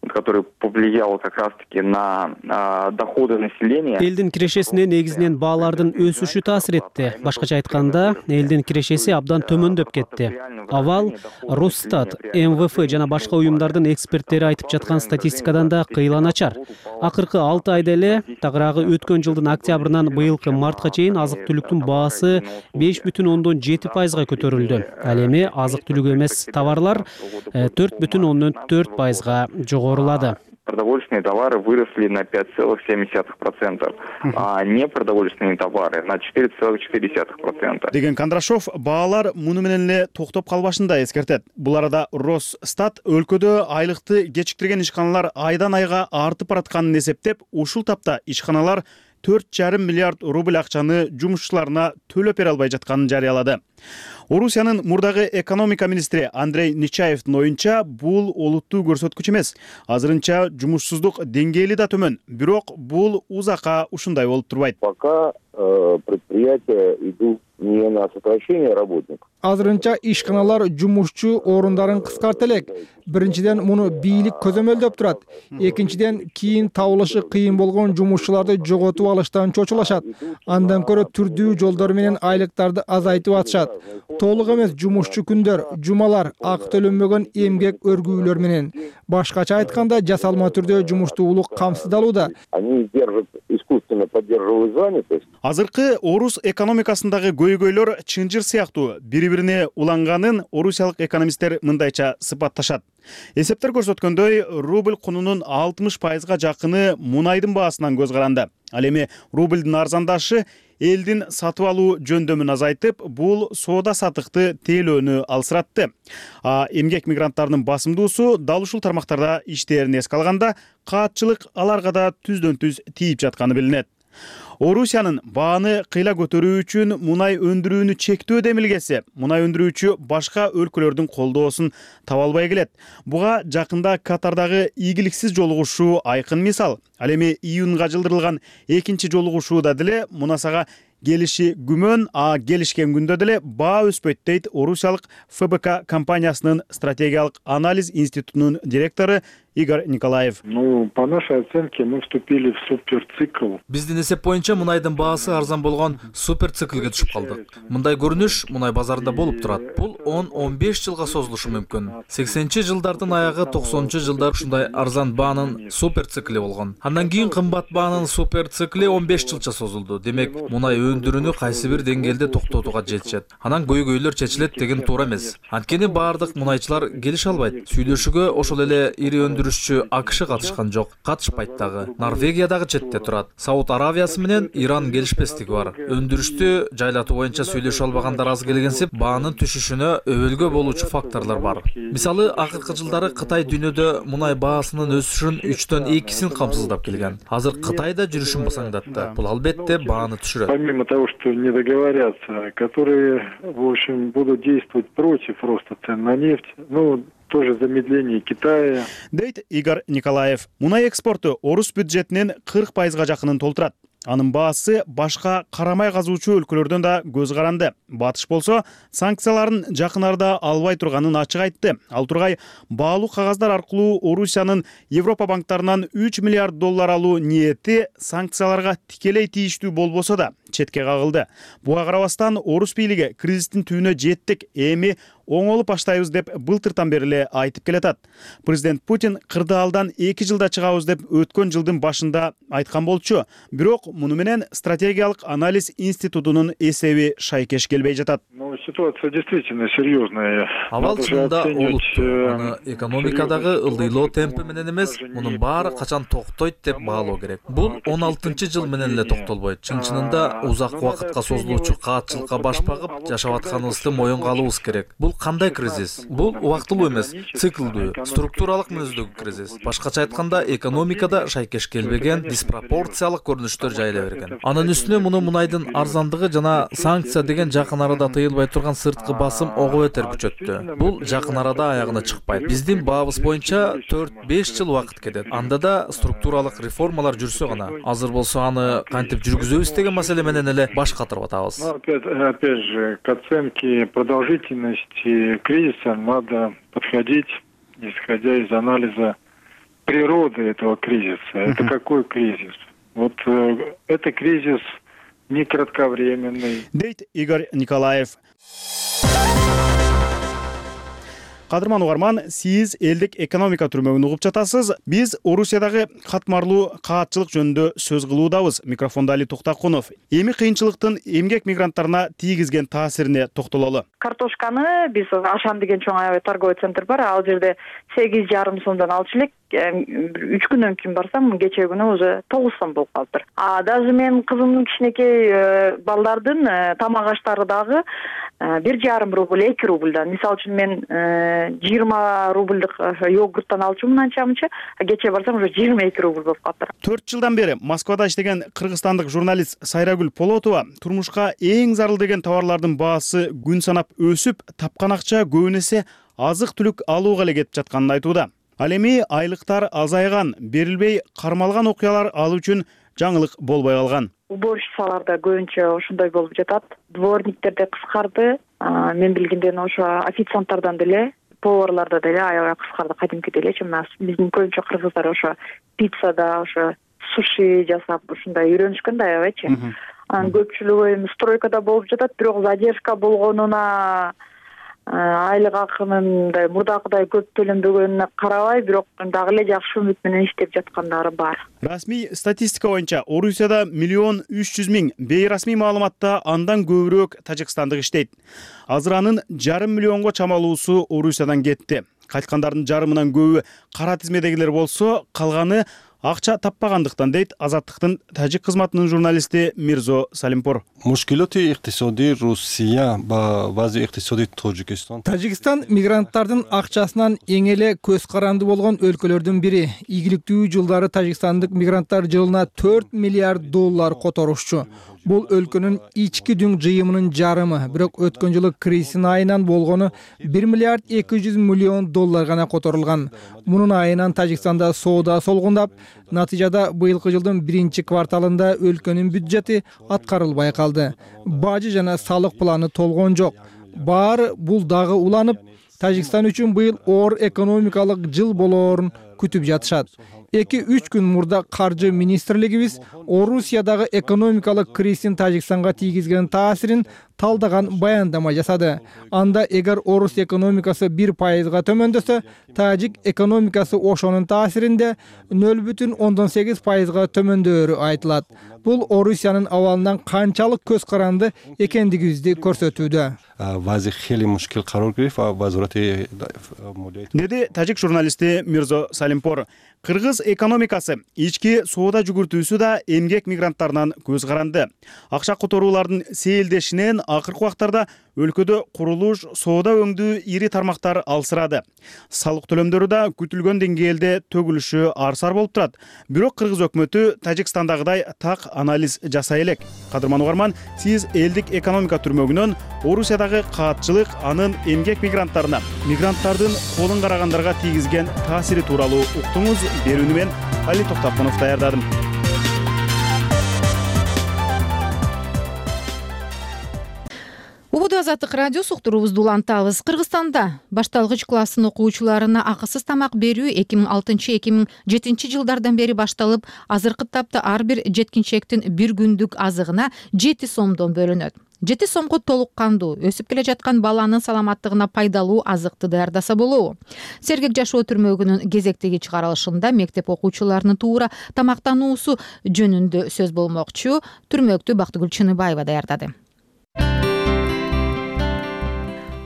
который повлиял как раз-таки на доходы населения. Элдин кирешесине негизинен баалардын өсүшү таасир этти. Башкача айтканда, элдин кирешеси абдан төмөндөп кетти. Абал Росстат, МВФ жана башка уюмдардын эксперттери айтып жаткан статистикадан да кыйла начар. Акыркы 6 айда эле, тагыраагы өткөн жылдын октябрынан быйылкы мартка чейин азык-түлүктүн баасы 5,7%га көтөрүлдү. Ал эми азык-түлүк эмес товарлар 4,4%га жогорулады. Продовольственные товары выросли на 5,7%, а непродовольственные товары на 4,4%. Деген Кондрашов баалар муну менен эле токтоп калбашында эскертет. Бул арада Росстат өлкөдө айлыкты кечиктирген ишканалар айдан айга артып баратканын эсептеп, ушул тапта ишканалар 4,5 миллиард рубль акчаны жумушчуларына төлөп бере албай жатканын жарыялады. Орусиянын мурдагы экономика министри Андрей Нечаевдин оюнча, бул олуттуу көрсөткүч эмес. Азырынча жумушсуздук деңгээли да төмөн. Бирок бул узакка ушундай болуп турбайт. Пока предприятия идут не на сокращение работников. Азырынча ишканалар жумушчу орундарын кыскарта элек. Биринчиден муну бийлик көзөмөлдөп турат. Экинчиден кийин табылышы кыйын болгон жумушчуларды жоготуп алыштан чочулашат. Андан көрө түрдүү жолдор менен айлыктарды азайтып атышат. Толук эмес жумушчу күндөр, жумалар, ак төлөнбөгөн эмгек өргүүлөр менен. Башкача айтканда, жасалма түрдө жумуштуулук камсыздалууда. Они держат искусственно естественно, поддерживают занятость. Азыркы орус экономикасындагы көйгөйлөр чынжыр сыяктуу бири-бирине уланганын орусиялык экономисттер мындайча сыпатташат. Эсептер көрсөткөндөй, рубль кунунун 60%га жакыны мунайдын баасынан көз каранды. Ал эми рубльдин арзандашы элдин сатып алуу жөндөмүн азайтып, бул соода сатыкты тейлөөнү алсыратты. Эмгек мигранттарынын басымдуусу дал ушул тармактарда иштээрин эске алганда, каатчылык аларга да түздөн түз тийип жатканы билинет. Орусиянын бааны кыйла көтөрүү үчүн мунай өндүрүүнү чектөө демилгеси мунай өндүрүүчү башка өлкөлөрдүн колдоосун таба албай келет. Буга жакында Катардагы ийгиликсиз жолугушуу айкын мисал. Ал эми июнга жылдырылган экинчи жолугушууда деле мунасага келиши күмөн, келишкен күндө деле баа өспөйт дейт орусиялык ФБК компаниясынын стратегиялык анализ институтунун директору Игорь Николаев. По нашей оценке мы вступили в суперцикл. Биздин эсеп боюнча мунайдын баасы арзан болгон суперциклге түшүп калдык. Мындай көрүнүш мунай базарында болуп турат. Бул 10-15 жылга созулушу мүмкүн. 80-жылдардын аягы 90-жылдар ушундай арзан баанын суперцикли болгон. Андан кийин кымбат баанын суперцикли 15 жылча созулду. Демек, мунай өндүрүүнү кайсы бир деңгээлде токтотууга жетишет. Анан көйгөйлөр чечилет деген туура эмес. Анткени баардык мунайчылар келише албайт. Сүйлөшүүгө ошол эле ири өндүрүшчү АКШ катышкан жок, катышпайт дагы. Норвегия дагы четте турат. Сауд Аравиясы менен Иран келишпестиги бар. Өндүрүштү жайлатуу боюнча сүйлөшө албагандар аз келгенсип, баанын түшүшүнө өбөлгө болуучу факторлор бар. Мисалы, акыркы жылдары Кытай дүйнөдө мунай баасынын өсүшүн 3-төн 2-син камсыздап келген. Азыр Кытай да жүрүшүн басаңдатты. Бул албетте бааны түшүрөт. Помимо того, что не договорятся, которые, в общем, будут действовать против роста цен на нефть, тоже замедление Китая. Дейт Игорь Николаев. Мунай экспорту орус бюджетинин 40%га жакынын толтурат. Анын баасы башка карамай казуучу өлкөлөрдөн да көз каранды. Батыш болсо, санкцияларын жакын арада албай турганын ачык айтты. Ал тургай баалуу кагаздар аркылуу Орусиянын Европа банктарынан 3 миллиард доллар алуу ниети санкцияларга тикелей тийиштүү болбосо да четке кагылды. Буга карабастан орус бийлиги кризистин түбүнө жеттик, эми оңолуп баштайбыз деп былтыртан бери эле айтып келатат. Президент Путин кырдаалдан 2 жылда чыгабыз деп өткөн жылдын башында айткан болчу. Бирок муну менен стратегиялык анализ институтунун эсеби шайкеш келбей жатат. Ситуация действительно серьезная. Абал чынында олуттуу. Аны экономикадагы ылдыйлоо темпи менен эмес, мунун баары качан токтойт деп баалоо керек. Бул 16-жыл менен эле токтолбойт. Чын-чынында узак убакытка созулуучу каатчылыкка баш багып жашап атканыбызды моюнга алуубуз керек. Бул кандай кризис? Бул убактылуу эмес, циклдүү, структуралык мүнөздөгү кризис. Башкача айтканда, экономикада шайкеш келбеген диспропорциялык көрүнүштөр жайыла берген. Анын үстүнө муну мунайдын арзандыгы жана санкция деген жакын арада тыйылбай турган сырткы басым ого бетер күчөттү. Бул жакын арада аягына чыкпайт. Биздин баабыз боюнча 4-5 жыл убакыт кетет. Анда да структуралык реформалар жүрсө гана. Азыр болсо аны кантип жүргүзөбүз деген маселе менен эле баш катырып атабыз. Опять же, к оценке продолжительности кризиса надо подходить, исходя из анализа природы этого кризиса. Это какой кризис? Вот это кризис не кратковременный. Дейт Игорь Николаев. Кадырман угарман, сиз элдик экономика түрмөгүн угуп жатасыз. Биз Орусиядагы катмарлуу каатчылык жөнүндө сөз кылуудабыз. Микрофондо Али Токтакунов. Эми кыйынчылыктын эмгек мигранттарына тийгизген таасирине токтололу. Картошканы биз Ашан деген чоң аябай торговый центр бар. Ал жерде 8,5 сомдон алчу элек. 3 күндөн кийин барсам, кечээ күнү уже 9 сом болуп калыптыр. Даже мен кызымдын кичинекей балдардын тамак аштары дагы 1,5 рубль, 2 рубльдан. Мисалы үчүн мен 20 рубльдык йогурттан алчумун анча-мынча, кечээ барсам уже 22 рубль болуп калыптыр. 4 жылдан бери Москвада иштеген кыргызстандык журналист Сайрагүл Полотова турмушка эң зарыл деген товарлардын баасы күн санап өсүп, тапкан акча көбүн эсе азык-түлүк алууга эле кетип жатканын айтууда. Ал эми айлыктар азайган, берилбей кармалган окуялар ал үчүн жаңылык болбой калган. Уборщицаларда көбүнчө ошондой болуп жатат. Дворниктерде кыскарды. Мен билгенден ошо официанттардан деле, поварларда деле аябай кыскарды, кадимкидей элечи. Биздин көбүнчө кыргыздар ошо пиццада, ошо суши жасап, ушундай үйрөнүшкөн да аябайчы. Анын көпчүлүгү эми стройкада болуп жатат, бирок задержка болгонуна айлык акынын мындай мурдакыдай көп төлөнбөгөнүнө карабай, бирок дагы эле жакшы үмүт менен иштеп жаткандары бар. Расмий статистика боюнча Орусияда 1 300 000, бейрасмий маалыматта андан көбүрөөк тажикстандык иштейт. Азыр анын 5,5 миллионго чамалуусу Орусиядан кетти. Кайткандардын жарымынан көбү кара тизмедегилер болсо, калганы акча таппагандыктан дейт Азаттыктын тажик кызматынын журналисти Мирзо Салимпур. Мушкилоти иктисодий Русия ба вазъи иктисодий Тожикистон. Тажикстан мигранттардын акчасынан эң эле көз каранды болгон өлкөлөрдүн бири. Ийгиликтүү жылдары тажикстандык мигранттар жылына 4 миллиард доллар которушчу. Бул өлкөнүн ички дүң жыйымынын жарымы, бирок өткөн жылы кризистин айынан болгону 1 миллиард 200 миллион доллар гана которулган. Мунун айынан Тажикстанда соода солгундап, натыйжада быйылкы жылдын 1-кварталында өлкөнүн бюджети аткарылбай калды. Бажы жана салык планы толгон жок. Баары бул дагы уланып, Тажикстан үчүн быйыл оор экономикалык жыл болоорун күтүп жатышат. 2-3 күн мурда каржы министрлигибиз Орусиядагы экономикалык кризистин Тажикстанга тийгизген таасирин талдаган баяндама жасады. Анда эгер Орус экономикасы 1%га төмөндөсө, тажик экономикасы ошонун таасиринде 0,8%га төмөндөөрү айтылат. Бул Орусиянын абалынан канчалык көз каранды экендигибизди көрсөтүүдө. Деди тажик журналисти Мирзо Салимпур. Кыргыз экономикасы ички соода жүгүртүүсү да эмгек мигранттарынан көз каранды. Акча которуулардын сейилдешинен акыркы убактарда өлкөдө курулуш, соода өңдүү ири тармактар алсырады. Салык төлөмдөрү да күтүлгөн деңгээлде төгүлүшү арсар болуп турат. Бирок кыргыз өкмөтү Тажикстандагыдай так анализ жасай элек. Кадырман угарман, сиз элдик экономика түрмөгүнөн Орусиядагы каатчылык анын эмгек мигранттарына, мигранттардын колун карагандарга тийгизген таасири тууралуу уктуңуз. Берүүнү мен Али Токтакунов даярдадым. Убуду Азаттык радиосу уктуруубузду улантабыз. Кыргызстанда башталгыч класстын окуучуларына акысыз тамак берүү 2006-2007 жылдардан бери башталып, азыркы тапта ар бир жеткинчектин бир күндүк азыгына 7 сомдон бөлүнөт. 7 сомго толук кандуу, өсүп келе жаткан баланын саламаттыгына пайдалуу азыкты даярдаса болобу? Сергек жашоо түрмөгүнүн кезектеги чыгарылышында мектеп окуучуларынын туура тамактануусу жөнүндө сөз болмокчу. Түрмөктү Бактыгүл Чыныбаева даярдады.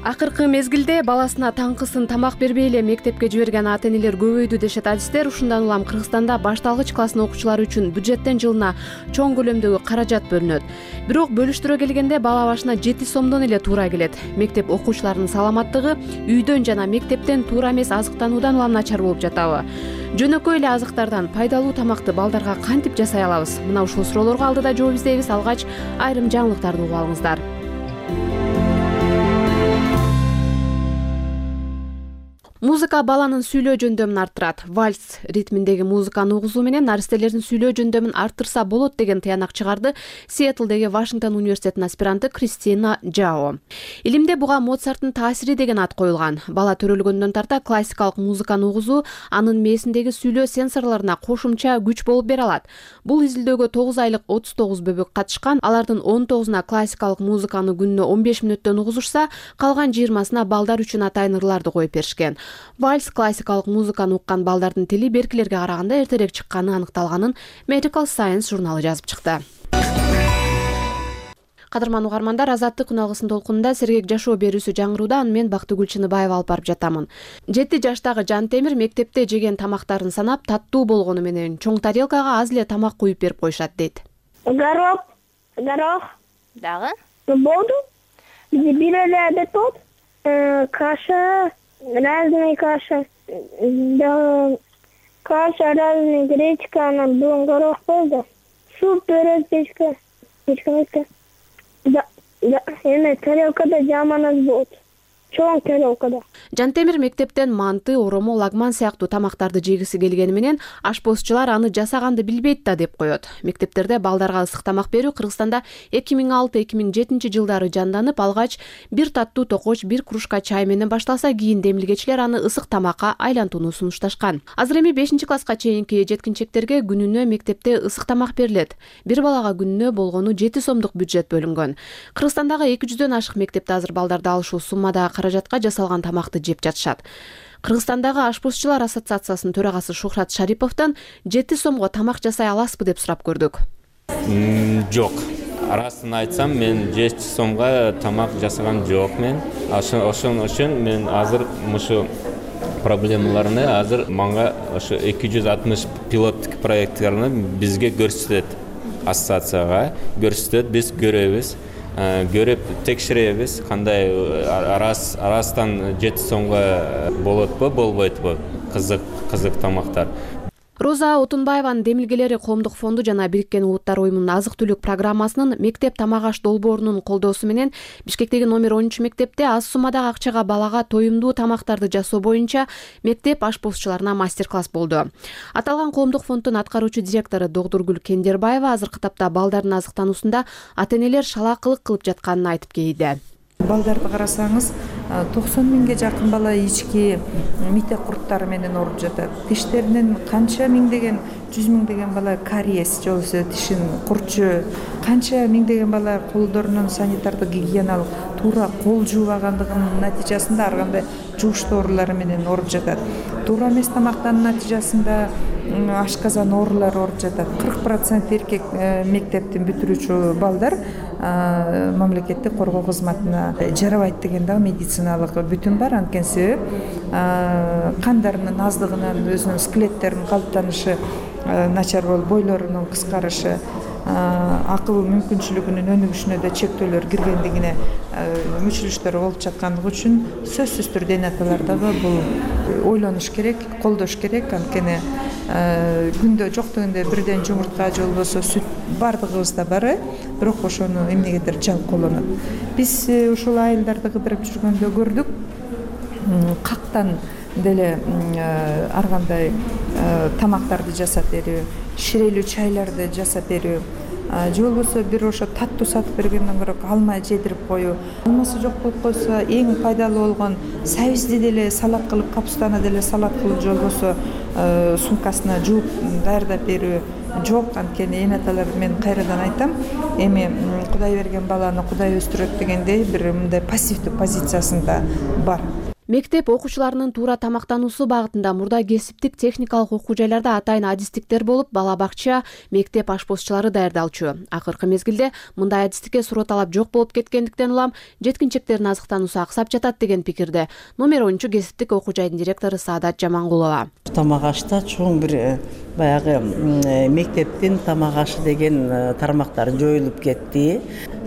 Акыркы мезгилде баласына таңкысын тамак бербей эле мектепке жиберген ата-энелер көбөйдү дешет адистер. Ушундан улам Кыргызстанда башталгыч класстын окуучулары үчүн бюджеттен жылына чоң көлөмдөгү каражат бөлүнөт. Бирок бөлүштүрө келгенде бала башына 7 сомдон эле туура келет. Мектеп окуучуларынын саламаттыгы үйдөн жана мектептен туура эмес азыктануудан улам начар болуп жатабы? Жөнөкөй эле азыктардан пайдалуу тамакты балдарга кантип жасай алабыз? Мына ушул суроолорго алдыда жооп издейбиз. Алгач айрым жаңылыктарды угуп алыңыздар. Музыка баланын сүйлөө жөндөмүн арттырат. Вальс ритминдеги музыканы угузуу менен наристелердин сүйлөө жөндөмүн арттырса болот деген тыянак чыгарды Сиэтлдеги Вашингтон университетинин аспиранты Кристина Джао. Илимде буга Моцарттын таасири деген ат коюлган. Бала төрөлгөндөн тарта классикалык музыканы угузуу анын мээсиндеги сүйлөө сенсорлоруна кошумча күч болуп бере алат. Бул изилдөөгө 9 айлык 39 бөбөк катышкан. Алардын 19-уна классикалык музыканы күнүнө 15 мүнөттөн угузушса, калган 20-сына балдар үчүн атайын ырларды коюп беришкен. Вальс классикалык музыканы уккан балдардын тили беркилерге караганда эртерээк чыкканы аныкталганын Medical Science журналы жазып чыкты. Кадырман угармандар, Азаттык күн алгысын толкунунда сергек жашоо берүүсү жаңырууда. Аны мен Бактыгүл Чыныбаева алып барып жатамын. 7 жаштагы Жантемир мектепте жеген тамактарын санап, таттуу болгону менен чоң тарелкага аз эле тамак куюп берип коюшат дейт. Горох дагы болду. Бир эле адет болот. Каша, разная каша, каша разная, гречка, анан бүгүн горох болду. Суп, пирог, печка. Да, эме тарелкада жаман аз болот. Чоң тарелкада. Жантемир мектептен манты, оромо, лагман сыяктуу тамактарды жегиси келгени менен ашпозчулар аны жасаганды билбейт да деп коет. Мектептерде балдарга ысык тамак берүү Кыргызстанда 2006-2007 жылдары жанданып, алгач бир таттуу токоч, бир кружка чай менен башталса, кийин демилгечилер аны ысык тамакка айлантууну сунушташкан. Азыр эми 5-класска чейинки жеткинчектерге күнүнө мектепте ысык тамак берилет. Бир балага күнүнө болгону 7 сомдук бюджет бөлүнгөн. Кыргызстандагы 200дөн ашык мектепте азыр балдарды алышуу суммада каражатка жасалган тамакты жеп жатышат. Кыргызстандагы ашпозчулар ассоциациясынын төрагасы Шухрат Шариповдон 7 сомго тамак жасай аласызбы деп сурап көрдүк. Жок. Арасын айтсам, мен 7 сомго тамак жасаган жокмун. Ошон үчүн мен азыр мушу проблемаларны азыр мага ошо 260 пилоттук проекттарны бизге көрсөтөт. Ассоциацияга көрсөтөт, биз көрөбүз. Көрүп текшеребиз, кандай арастан 7 сомго болотпу, болбойтпу кызык тамактар. Роза Отунбаеванын демилгелери Коомдук фонду жана Бириккен Улуттар уюмунун азык-түлүк программасынын мектеп тамак аш долбоорунун колдоосу менен Бишкектеги номер 10 мектепте аз суммадагы акчага балага тоюмдуу тамактарды жасоо боюнча мектеп ашпозчуларына мастер-класс болду. Аталган Коомдук фонддун аткаруучу директору Догдургүл Кендербаева азыркы тапта балдардын азыктануусунда ата-энелер шалаакылык кылып жатканын айтып кейди. Балдарды карасаңыз, 90 миңге жакын бала ички мите курттары менен ооруп жатат. Тиштеринен канча миңдеген, 100 миңдеген бала кариес, же болбосо тишин курчу, канча миңдеген бала колдорунун санитардык гигиеналык туура кол жуубагандыгынын натыйжасында ар кандай жугуштуу оорулары менен ооруп жатат. Туура эмес тамактануу натыйжасында ашказан оорулары ооруп жатат. 40% эркек мектептин бүтүрүүчү балдар мамлекеттик коргоо кызматына жарабайт деген дагы медициналык бүтүн бар. Анткени себеп кандарынын аздыгынан өзүнүн скелеттеринин калыптанышы начар болуп, бойлорунун кыскарышы, акыл мүмкүнчүлүгүнүн өнүгүшүнө да чектөөлөр киргендигине мүчүлүштөр болуп жаткандыгы үчүн сөзсүз түрдө эне аталар дагы бул ойлонуш керек, колдош керек. Анткени күндө жок дегенде бирден жумуртка же болбосо сүт бардыгыбызда бар, бирок ошону эмнегедир жалп колонот. Биз ушул айылдарды кыдырып жүргөндө көрдүк, кактан деле ар кандай тамактарды жасап берүү, ширелүү чайларды жасап берүү, же болбосо бир ошо таттуу сатып бергенден көрө алма жедирип коюу. Алмасы жок болуп койсо эң пайдалуу болгон сабизди деле салат кылып, капустаны деле салат кылып, же болбосо сумкасына жууп даярдап берүү жок. Анткени эне аталар, мен кайрадан айтам, эми Кудай берген баланы Кудай өстүрөт дегендей бир мындай пассивдүү позициясында бар. Мектеп окуучуларынын туура тамактануусу багытында мурда кесиптик техникалык окуу жайларда атайын адистиктер болуп, бала бакча, мектеп ашпозчулары даярдалчу. Акыркы мезгилде мындай адистикке суроо талап жок болуп кеткендиктен улам жеткинчектердин азыктануусу аксап жатат деген пикирде номер 10 кесиптик окуу жайдын директору Саадат Жамангулова. Тамак ашта чоң бир баягы мектептин тамак ашы деген тармактар жоюлуп кетти.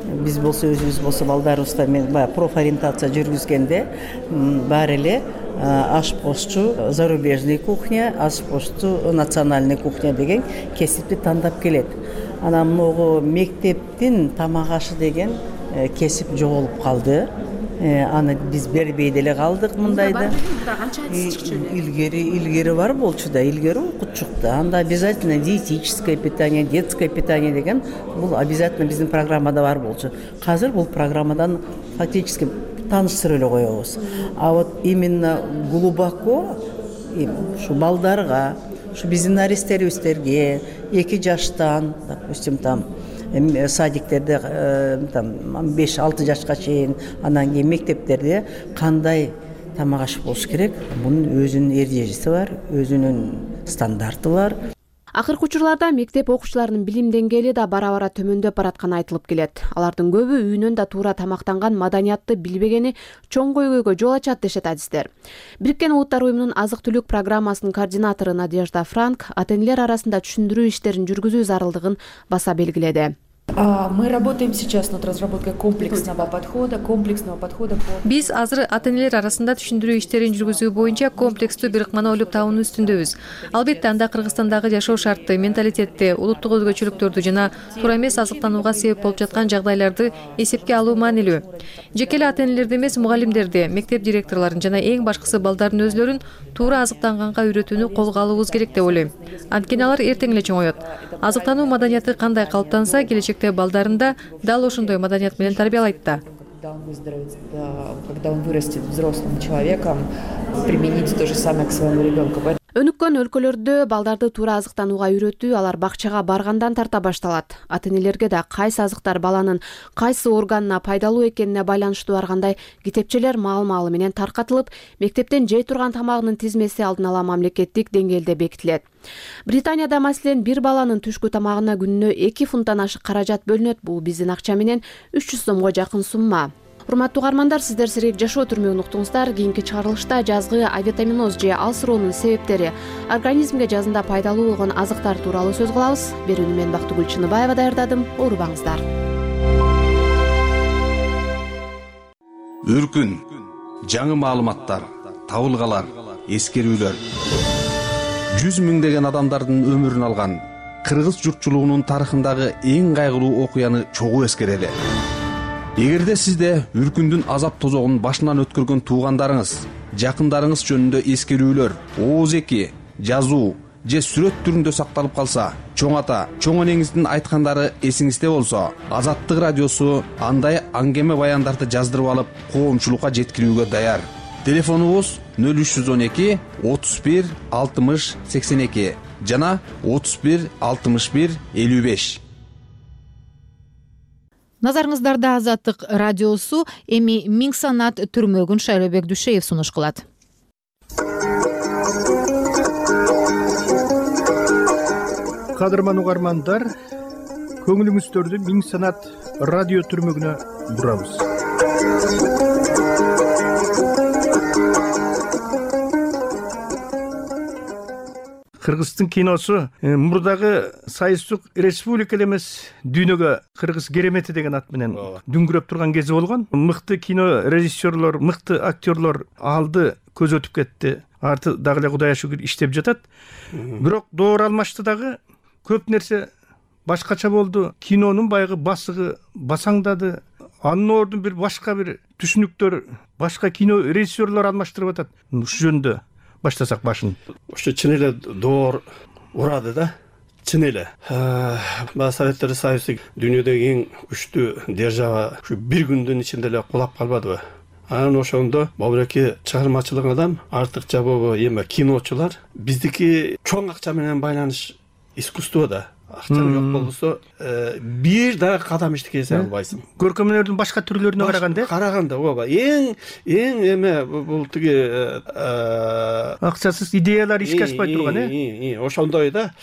Биз болсо өзүбүз болсо балдарыбызда мен баягы профориентация жүргүзгөндө баары эле ашпозчу зарубежный кухня, ашпозчу национальный кухня деген кесипти тандап келет. Анан могу мектептин тамак ашы деген кесип жоголуп калды. Аны биз бербей деле калдык мындайда. Илгери бар болчу да, илгери окутчук да. Анда обязательно диетическое питание, детское питание деген бул обязательно биздин программада бар болчу. Азыр бул программадан фактически тааныштырып эле коебуз. А вот именно глубоко ушу балдарга, ушу биздин наристерибизге 2 жаштан, допустим, там садиктерде 5-6 жашка чейин, анан кийин мектептерде кандай тамак аш болуш керек? Бунун өзүнүн эрежеси бар, өзүнүн стандарты бар. Акыркы учурларда мектеп окуучуларынын билим деңгээли да бара-бара төмөндөп баратканы айтылып келет. Алардын көбү үйүнөн да туура тамактанган маданиятты билбегени чоң көйгөйгө жол ачат дешет адистер. Бириккен Улуттар уюмунун азык-түлүк программасынын координатору Надежда Франк ата-энелер арасында түшүндүрүү иштерин жүргүзүү зарылдыгын баса белгиледи. Мы работаем сейчас над разработкой комплексного подхода. Биз азыр ата-энелер арасында түшүндүрүү иштерин жүргүзүү боюнча комплекстүү бир ыкманы ойлоп табуунун үстүндөбүз. Албетте анда Кыргызстандагы жашоо шартты, менталитетти, улуттук өзгөчөлүктөрдү жана туура эмес азыктанууга себеп болуп жаткан жагдайларды эсепке алуу маанилүү. Жеке эле ата-энелерди эмес, мугалимдерди, мектеп директорлорун жана эң башкысы балдардын өзлөрүн туура азыктанганга үйрөтүүнү колго алуубуз керек деп ойлойм. Анткени алар эртең эле чоңоет. Азыктануу маданияты кандай калыптанса, келечекте балдарында дал ошондой маданият менен тарбиялайт да. Когда он вырастет взрослым человеком, применить то же самое к своему ребенку. Өнүккөн өлкөлөрдө балдарды туура азыктанууга үйрөтүү алар бакчага баргандан тарта башталат. Ата-энелерге да кайсы азыктар баланын кайсы органына пайдалуу экенине байланыштуу ар кандай китепчелер маал-маалы менен таркатылып, мектептен жей турган тамагынын тизмеси алдын ала мамлекеттик деңгээлде бекитилет. Британияда маселен бир баланын түшкү тамагына күнүнө 2 фунттан ашык каражат бөлүнөт. Бул биздин акча менен 300 сомго жакын сумма. Урматтуу угармандар, сиздер сирек жашоо түрмөгүн уктуңуздар. Кийинки чыгарылышта жазгы авитаминоз же алсыроонун себептери, организмге жазында пайдалуу болгон азыктар тууралуу сөз кылабыз. Берүүнү мен Бактыгүл Чыныбаева даярдадым. Оорубаңыздар. Үркүн, жаңы маалыматтар, табылгалар, эскерүүлөр. 100 миңдеген адамдардын өмүрүн алган кыргыз журтчулугунун тарыхындагы эң кайгылуу окуяны чогуу эскерели. Эгерде сизде үркүндүн азап тозогун башынан өткөргөн туугандарыңыз, жакындарыңыз жөнүндө эскерүүлөр, ооз-эки, жазуу же сүрөт түрүндө сакталып калса, чоң ата, чоң энеңиздин айткандары эсиңизде болсо, Азаттык радиосу андай аңгеме баяндарды жаздырып алып, коомчулукка жеткирүүгө даяр. Телефонубуз 0312 31 60 82 жана 31 61 55. Назарыңыздарда Азаттык радиосу, эми Миң санат түрмөгүн Шайлообек Дүшеев сунуш кылат. Кадырман угармандар, көңүлүңүздөрдү Миң санат радио түрмөгүнө бурабыз. Кыргыздын киносу мурдагы Союздук республика эле эмес, дүйнөгө Кыргыз керемети деген ат менен дүңгүрөп турган кези болгон. Мыкты кино режиссерлор, мыкты актерлор алды, көз өтүп кетти. Арты дагы эле Кудайга шүгүр иштеп жатат. Бирок доор алмашты дагы көп нерсе башкача болду. Кинонун баягы басыгы басаңдады. Анын ордун бир башка бир түшүнүктөр, башка кино режиссерлор алмаштырып атат. Ушул жөнүндө баштасак башын. Ошо чын эле доор урады да. Чын эле. Советтер Союзу дүйнөдөгү эң күчтүү держава ушу бир күндүн ичинде эле кулап калбадыбы? Анан ошондо бобуреки чыгармачылык адам, артыкча бобу эме киночулар биздики чоң акча менен байланыш искусство да. Акча жок болсо бир дагы кадам иштете албайсың. Көркөмдөрдүн башка түрлөрүнө караганда ооба эң эме бул тиги акчасыз идеялар ишке ашпай турган ошондой да.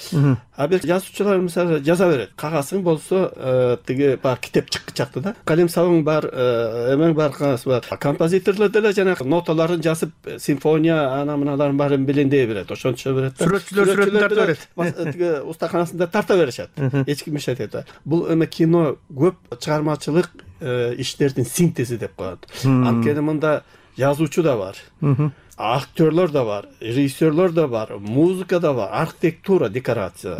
А бир жазуучулар мисалы жаза берет. Кагасың болсо тиги бар китеп чыкчакты да. Калем сабың бар, эмең бар, кагаз бар. Композиторлор деле жана ноталарын жазып, симфония ана мыналарын баарын белендей берет. Ошончо берет. Сүрөтчүлөр сүрөтүн тарта берет. Тиги устаканасында тарта беришет. Эч ким иштете да. Бул эме кино көп чыгармачылык иштердин синтези деп коет. Анткени мында жазуучу да бар. Актерлор да бар, режиссерлор да бар, музыка да бар, архитектура, декорация.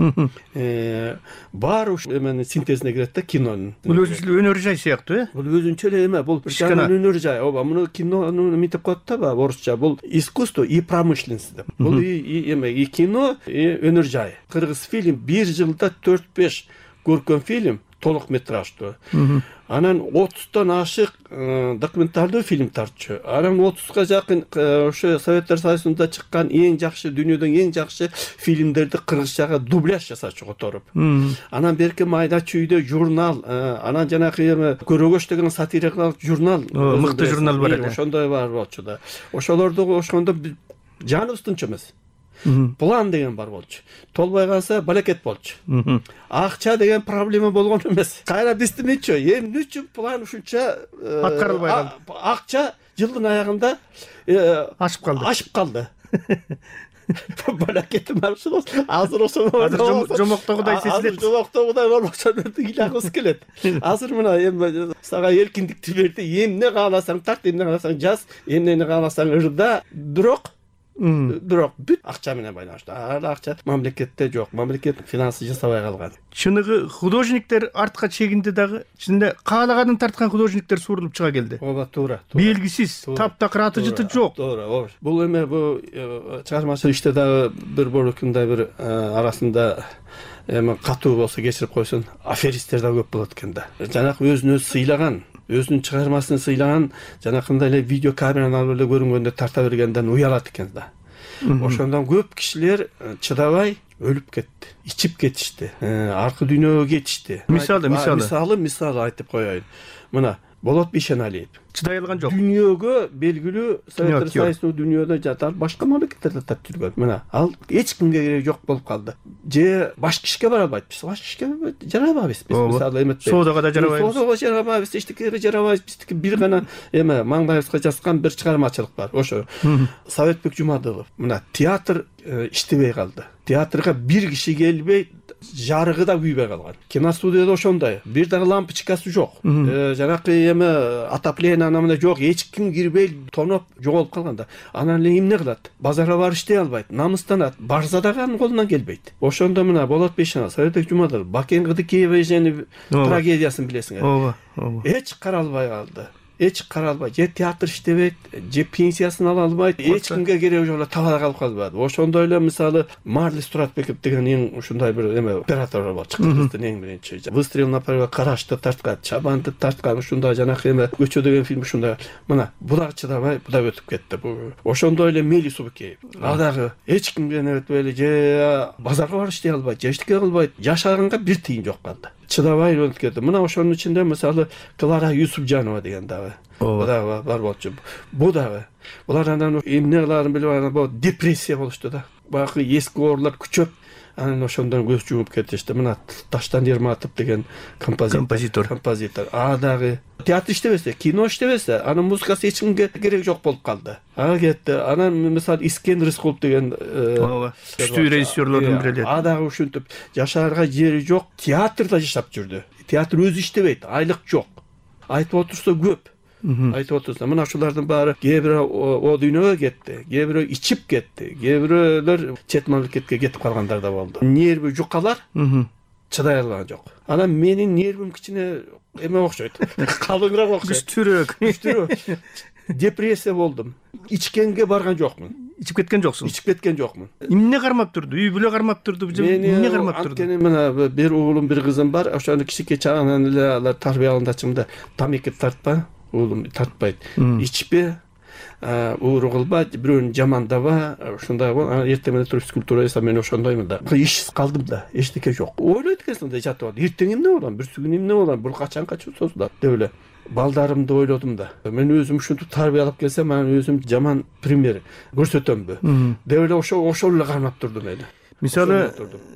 Бар ушу эменин синтезине кирет да кинонун. Бул өзүнчө өнөр жай сыяктуу, Бул өзүнчө эле эме, бул өнөр жай. Ооба, муну кинонун мынтип коет да, орусча. Бул искусство и промышленность деп. Бул эме и кино, и өнөр жай. Кыргыз фильм бир жылда 4-5 көркөм фильм толук метраждуу. Анан 30тан ашык документалдуу фильм тартчу. Анан 30га жакын ошо Советтер Союзунда чыккан эң жакшы, дүйнөдөн эң жакшы фильмдерди кыргызчага дубляж жасачу которуп. Анан берки майда чүйдө журнал, анан жанакы эме Көрөгөч деген сатирикалык журнал, мыкты журнал бар эле. Ошондой бар болчу да. Ошолорду ошондо жаныбыз тынч эмес. План деген бар болчу. Толбой калса балекет болчу. Акча деген проблема болгон эмес. Кайра биздимичи, эмне үчүн план ушунча аткарылбай калды? Акча жылдын аягында ашып калды. Балекетим арчылып, азыр жомоктогудай сезилет. Жомоктогудай болбосо ыйлagыбыз келет. Азыр мына эми сага эркиндикти берди, эмне кааласаң тарт, эмне кааласаң жаз, эмнени кааласаң ырда, бирок бүт акча менен байланыштуу. Акча мамлекетте жок. Мамлекет финансы жасабай калган. Чыныгы художниктер артка чегинди дагы. Чынында каалаганын тарткан художниктер суурулуп чыга келди. Ооба, туура. Белгисиз, таптакыр аты жыты жок. Туура, ооба. Бул эме бул чыгармачылык иште дагы бир борукундай бир арасында эме катуу болсо кечирип койсун, аферисттер да көп болот экен да. Жанакы өзүн өзү сыйлаган, өзүнүн чыгармасын сыйлаган, жанакындай эле видео камераны алып эле көрүнгөндө тарта бергенден уялат экен да. Ошондон көп кишилер чыдабай өлүп кетти, ичип кетишти, аркы дүйнөгө кетишти. Мисалы айтып коеюн. Мына Болот Бейшеналиев чыдай алган жок. Дүйнөгө белгилүү Советтер Союзунун дүйнөдө жатат, башка мамлекеттерде тап жүргөн. Мына ал эч кимге кереги жок болуп калды. Же башка ишке бара албайт. Биз башка ишке жарабайбыз. Биз мисалы эметпейбиз. Соодага да жарабайбыз. Соодага жарабайбыз, эчтекеге жарабайбыз. Биздики бир гана маңдайыбызга жазган бир чыгармачылык бар. Ошо Советбек Жумадылов. Мына театр иштебей калды. Театрга бир киши келбей, жарыгы да күйбөй калган. Киностудияда ошондой. Бир дагы лампочкасы жок. Жанакы отопление анамында жок. Эч ким кирбей, тоноп жоголуп калганда. Анан эле эмне кылат? Базарга барып иштей албайт, намыстанат. Барса дагы анын колунан келбейт. Ошондо мына Болот Бейшеналиев, Советбек Жумадылов, Бакен Кыдыкеева трагедиясын билесиңер. Ооба. Эч каралбай калды. Эч каралбайт, же театр иштебейт, же пенсиясын ала албайт, эч кимге кереги жок эле табада калып калбады. Ошондой эле мисалы Марлис Туратбеков деген эң ушундай бир оператор бар, чыккыздын эң биринчи. Выстрел на Париж, Карашты тарткан, Чабанды тарткан, ушундай жанакы Көчө деген фильм ушундай. Мына бу дагы чыдабай, бу да өтүп кетти. Ошондой эле Мели Субыкеев. А дагы эч кимге өтпөй эле же базарга барып иштей албайт, же эчтеке кылбайт, жашаганга бир тыйын жок калды. Чыдабай өтүп кетти. Мына ошонун ичинде мисалы Клара Юсупжанова деген дагы бар болчу. Бу дагы. Булар анан эмне кыларын билбей анан депрессия болушту да. Баягы эски оорулар күчөп, анан ошондон көз жумуп кетишти. Мына Таштан Ерматов деген композитор. А дагы театр иштебесе, кино иштебесе, анын музыкасы эч кимге кереги жок болуп калды. Кетти. Анан мисалы Искен Рыскулов деген күчтүү режиссерлордун бири эле. А дагы ушинтип жашаарга жери жок, театрда жашап жүрдү. Театр өзү иштебейт, айлык жок. Айтып отурса көп. Айтып отурса, мына ушулардын баары кээ бирөө о дүйнөгө кетти, кээ бирөө ичип кетти, кээ бирөөлөр чет мамлекетке кетип калгандар да болду. Нерви жукалар чыдай алган жок. Анан менин нервим кичине эме окшойт, калыңыраак окшойт. Күчтүүрөөк. Депрессия болдум. Ичкенге барган жокмун. Ичип кеткен жоксуң? Ичип кеткен жокмун. Эмне кармап турду? Үй бүлө кармап турду, эмне кармап турду? Анткени мына бир уулум, бир кызым бар. Ошону кичике чагынан эле алар тарбия алгандачымда тамеки тартпа, уулум тартпайт. Ичпе, ууру кылба, бирөөнү жамандаба, ушундай бол. Эртең менен туруп физкультура жасап мен ошондоймун да. Ишсиз калдым да, эчтеке жок. Ойлойт экенсиң да жатып алып. Эртең эмне болом, бүрсү күнү эмне болом, бул качанга созулат деп эле. Балдарымды ойлодум да. Мен өзүм ушинтип тарбиялап келсем, мен өзүм жаман пример көрсөтөмбү деп эле ошол эле кармап турдум эли. Мисалы,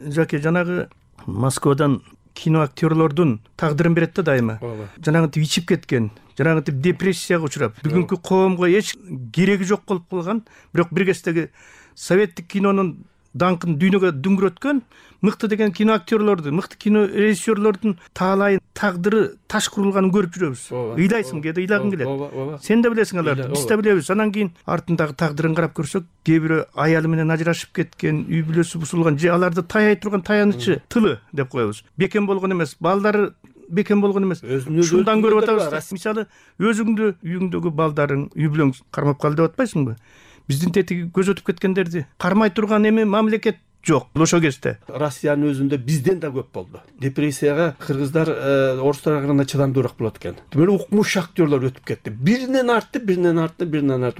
Жаке, жанагы Москвадан кино актерлордун тагдырын берет да дайыма. Жанагынтип ичип кеткен, жанагынтип депрессияга учурап, бүгүнкү коомго эч кереги жок болуп калган, бирок бир кездеги советтик кинонун даңкын дүйнөгө дүңгүрөткөн мыкты деген кино актерлорду, мыкты кино режиссерлордун таалайын тагдыры таш курулганын көрүп жүрөбүз. Ыйлайсың, кээде ыйлагың келет. Сен да билесиң аларды, биз да билебиз. Анан кийин артындагы тагдырын карап көрсөк, кээ бирөө аялы менен ажырашып кеткен, үй бүлөсү бузулган, же аларды таяй турган таянычы тылы деп коебуз. Бекем болгон эмес, балдары бекем болгон эмес. Ушундан көрүп атабыз. Мисалы, өзүңдү, үйүңдөгү балдарың, үй бүлөң кармап калды деп атпайсыңбы? Биздин тетиги көз өтүп кеткендерди кармай турган эми мамлекет жок ошол кезде. Россиянын өзүндө бизден да көп болду. Депрессияга кыргыздар, орустар караганда чыдамдуураак болот экен. Демек укмуш актерлор өтүп кетти. Биринен арты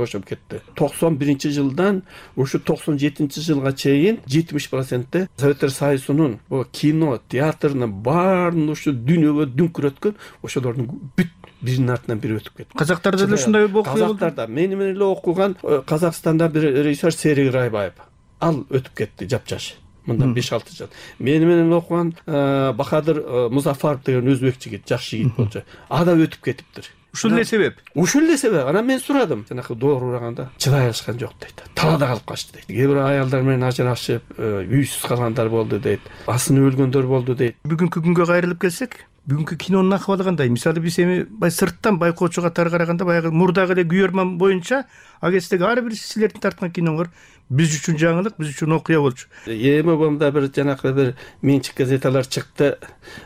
ошоп кетти. 91-жылдан ушу 97-жылга чейин 70% Советтер Союзунун кино, театрынын баарын ушу дүйнөгө дүңкүрөткөн ошолордун бүт биринин артынан бири өтүп кетти. Казактарда да ушундай окуя болду. Казактарда мени менен эле окуган Казакстанда бир режиссер Серик Райбаев. Ал өтүп кетти жапжаш. Мындан 5-6 жыл. Мени менен окуган Бахадыр Музафаров деген өзбек жигит, жакшы жигит болчу. А да өтүп кетиптир. Ушул эле себеп. Ушул эле себеп. Анан мен сурадым. Жанакы доор ураганда чыдай алышкан жок дейт. Талада калып качты дейт. Кээ бир аялдар менен ажырашып, үйсүз калгандар болду дейт. Асыны өлгөндөр болду дейт. Бүгүнкү күнгө кайрылып келсек, бүгүнкү кинонун акыбалы кандай? Мисалы биз эми сырттан байкоочу катары караганда баягы мурдагы эле күйөрман боюнча а кездеги ар бир силердин тарткан киноңор биз үчүн жаңылык, биз үчүн окуя болчу. Эми бомда бир жанакы бир менчик газеталар чыкты.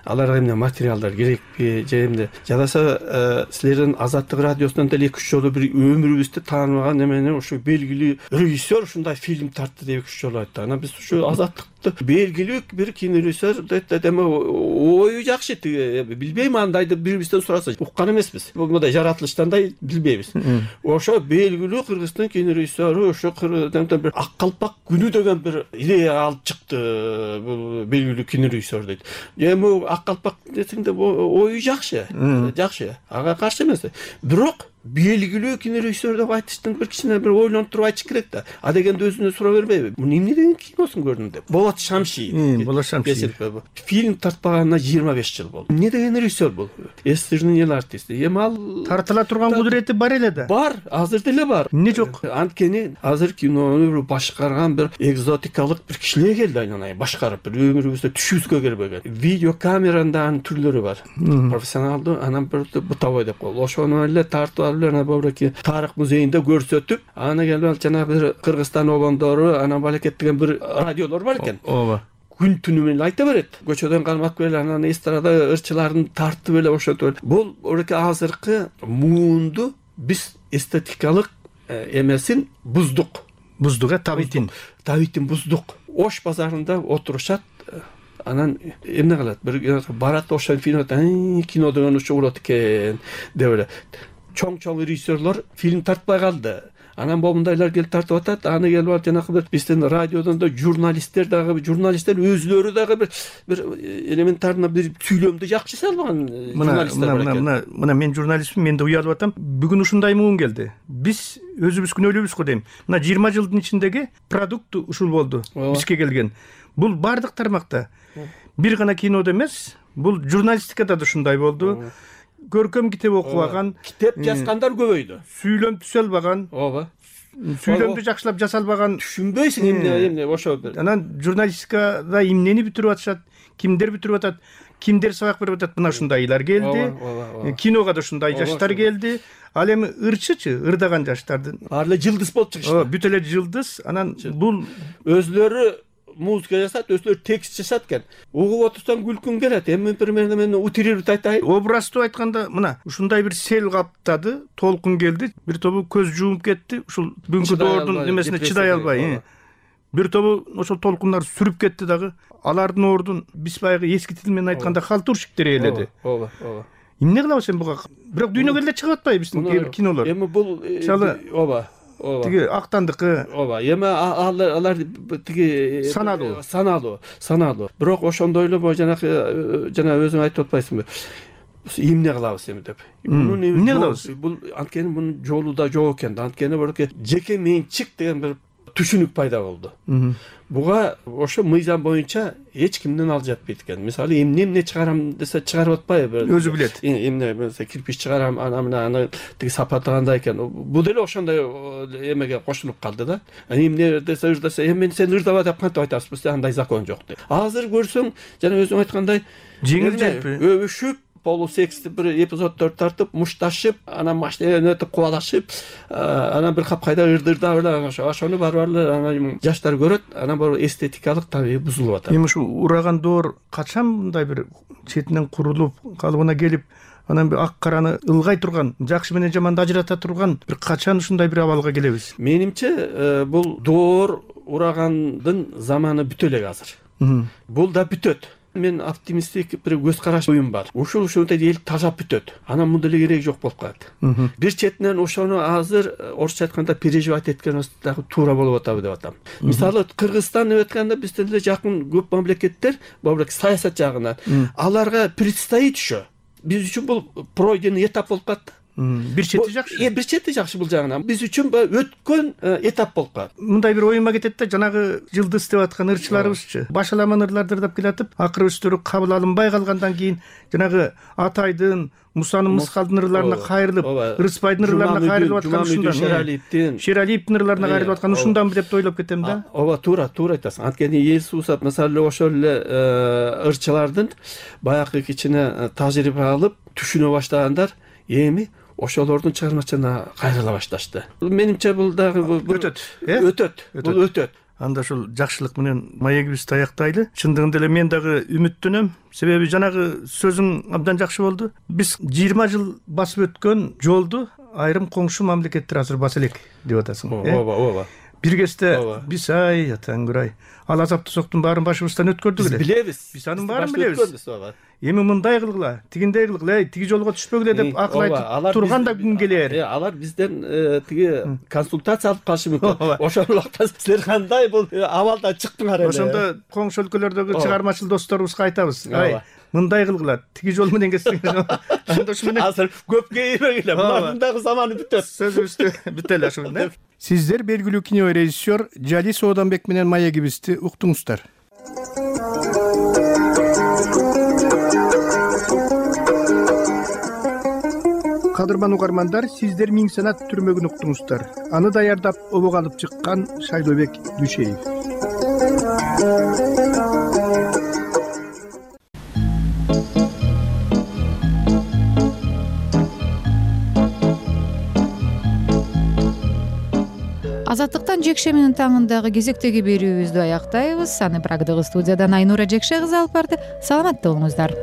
Аларга эмне материалдар керекпи, же эмне? Жадаса силердин Азаттык радиосунан деле 2-3 жолу бир өмүрүбүздү тааныбаган эмени ушу белгилүү режиссер ушундай фильм тартты деп 2-3 жолу айтты. Анан биз ушу Азаттык белгилүү бир кинорежиссер эме ою жакшы, билбейм андайды бирибизден сураса уккан эмеспиз. Мындай жаратылыштандай билбейбиз. Ошо белгилүү Кыргыздын кинорежиссеру ошо бир ак калпак күнү деген бир идея алып чыкты. Бул белгилүү кинорежиссер дейт. Эми ак калпак десеңде ою жакшы, ага каршы эмес. Бирок белгилүү кинорежиссер деп айтыштын бир кичине бир ойлонуп туруп айтыш керек да. А дегенде өзүнө суроо бербейби? Муну эмне деген киносун көрдүң деп. Болот Шамшиев. Фильм тартпаганына 25 жыл болду. Эмне деген режиссер бул? Эстердин эл артисти. Эми ал тартыла турган кудурети бар эле да. Бар, азыр деле бар. Эмне жок? Анткени азыр кинону башкарган бир экзотикалык бир кишилер келди айнанай башкарып, бир өмүрүбүздө түшүбүзгө келбеген. Видео камеранын түрлөрү бар. Профессионалдуу, анан бир бутовой деп коет. Ошону эле тартып алып ана бобраки тарых музейинде көрсөтүп, аны келип жанагы бир Кыргызстан обондору, анан балекет деген бир радиолор бар экен. Ооба. Күн түнү менен айта берет. Көчөдөн кармап эле анан эстрада ырчыларын тартып эле ошентип. Бул ореке азыркы муунду биз эстетикалык эмесин буздук. Буздук, табитин буздук. Ош базарында отурушат. Анан эмне кылат? Бир барат ошол фильм, кино деген ушул болот экен деп эле. Чоң режиссерлор фильм тартпай калды. Анан момундайлар келип тартып атат. Аны келип алып жанагы бир биздин радиодон да журналисттер өзлөрү дагы бир элементарно бир сүйлөмдү жакшы салган журналисттер бар экен. Мына мен журналистмин, мен да уялып атам. Бүгүн ушундай муун келди. Биз өзүбүз күнөөлүүбүз го дейм. Мына 20 жылдын ичиндеги продукт ушул болду. Бизге келген. Бул бардык тармакта. Бир гана кинодо эмес, бул журналистикада да ушундай болду. Көркөм китеп окубаган, китеп жазгандар көбөйдү. Сүйлөм түзөлбөгөн. Ооба. Сүйлөмдү жакшылап жасалбаган. Түшүнбөйсүң эмне ошо. Анан журналистикада эмнени бүтүрүп атышат, кимдер бүтүрүп атат, кимдер сабак берип атат, мына ушундайлар келди. Кинога да ушундай жаштар келди. Ал эми ырчычы, ырдаган жаштардын. Баары эле жылдыз болуп чыгышты. Бүт эле жылдыз. Анан бул өзлөрү музыка жасат, өзлөрү текст жасат экен. Угуп отурсаң күлкүң келет. Эми примерно мен утрируп айтайын. Образды айтканда, мына ушундай бир сел каптады, толкун келди, бир тобу көз жумуп кетти, ушул бүгүнкү доордун немесине чыдай албай. Бир тобу ошол толкундар сүрүп кетти дагы. Алардын ордун биз баягы эски тил менен айтканда халтурщиктер ээледи. Ооба. Эмне кылабыз эми буга? Бирок дүйнөгө эле чыгып атпайбы биздин кээ бир кинолор? Эми бул ооба. Тиги актандыкы. Ооба. Эми алар тиги саналуу. Бирок ошондой эле жана өзүң айтып атпайсыңбы? Эмне кылабыз эми деп. Эмне кылабыз? Бул анткени мунун жолу да жок экен. Анткени бирок жеке менчик деген бир түшүнүк пайда болду. Буга ошо мыйзам боюнча эч кимден ал жатпайт экен. Мисалы эмне чыгарам десе чыгарып атпайбы? Өзү билет. Эмне болсо кирпич чыгарам, аны тиги сапаты кандай экен. Бул деле ошондой эмеге кошулуп калды да. Эмне десе эми сен ырдап деп кантип айтасыз? Андай закон жок деп. Азыр көрсөң, жана өзүң айткандай жеңил жеппи, өбүшүп полусексти бир эпизоддор тартып, мушташып, анан машина өтүп кубалашып, анан бир капкайда ырдырдап эле ошону барып анан жаштар көрөт, анан бул эстетикалык табигый бузулуп атат. Эми ушу ураган доор качан мындай бир четинен курулуп, калыбына келип, анан бир ак караны ылгай турган, жакшы менен жаманды ажырата турган бир качан ушундай бир абалга келебиз? Менимче, бул доор урагандын заманы бүтө элек азыр. Бул да бүтөт. Мен оптимисттик бир көз караш оюм бар. Ушундай эл тажап бүтөт. Анан мындай эле кереги жок болуп калат. Бир четинен ошону азыр орусча айтканда переживать эткенибиз дагы туура болуп атабы деп атам. Мисалы Кыргызстан деп айтканда бизден эле жакын көп мамлекеттер, бобрак саясат жагынан аларга предстоит ошо. Биз үчүн бул пройденный этап болуп калат. Бир чети жакшы. Бир чети жакшы бул жагынан. Биз үчүн өткөн этап болуп калат. Мындай бир оюма кетет да, жанагы жылдыз деп аткан ырчыларыбызчы. Башаламан ырларды ырдап келатып, акыры өстөрү кабыл алынбай калгандан кийин жанагы Атайдын, Мусанын Мыскалдын ырларына кайрылып, Рыспайдын ырларына кайрылып аткан ушундан. Шералиевдин ырларына кайрылып аткан ушунданбы деп ойлоп кетем да. Ооба, туура айтасың. Анткени эл суусат, мисалы ошол эле ырчылардын баягы кичине тажрыйба алып, түшүнө баштагандар эми ошолордун чыгармачылыгына кайрыла башташты. Менимче бул дагы өтөт. Анда ушул жакшылык менен маегибизди аяктайлы. Чындыгында эле мен дагы үмүттөнөм. Себеби жанагы сөзүң абдан жакшы болду. Биз 20 жыл басып өткөн жолду айрым коңшу мамлекеттер азыр баса элек деп атасың. Ооба. бир кезде биз ай Таңгүрай ал азапты соктун баарын башыбыздан өткөрдүк эле. Биз билебиз. Биз анын баарын билебиз. Эми мындай кылгыла, тигиндей кылгыла, тиги жолго түшпөгүлө деп акыл айтып турган да күн келер. Алар бизден тиги консультация алып калышы мүмкүн. Ошол убакта силер кандай бул абалдан чыктыңар эле. Ошондо коңшу өлкөлөрдөгү чыгармачыл досторубузга айтабыз. Ай, мындай кылгыла, тиги жол менен кетсеңиз. Анда ушу менен азыр көп кейбегиле. Мындагы заманы бүтөт. Сөзүбүздү бүтө эле ушу менен. Сиздер белгилүү кинорежиссер Жали Сооданбек менен маегибизди уктуңуздар. Кадырман угармандар, сиздер Миң санат түрмөгүн уктуңуздар. Аны даярдап обого алып чыккан Шайлообек Дүшеев. Азаттыктан жекшеминин таңындагы кезектеги берүүбүздү аяктайбыз. Аны Прагдагы студиядан Айнура Жекше кызы алып барды. Саламатта болуңуздар.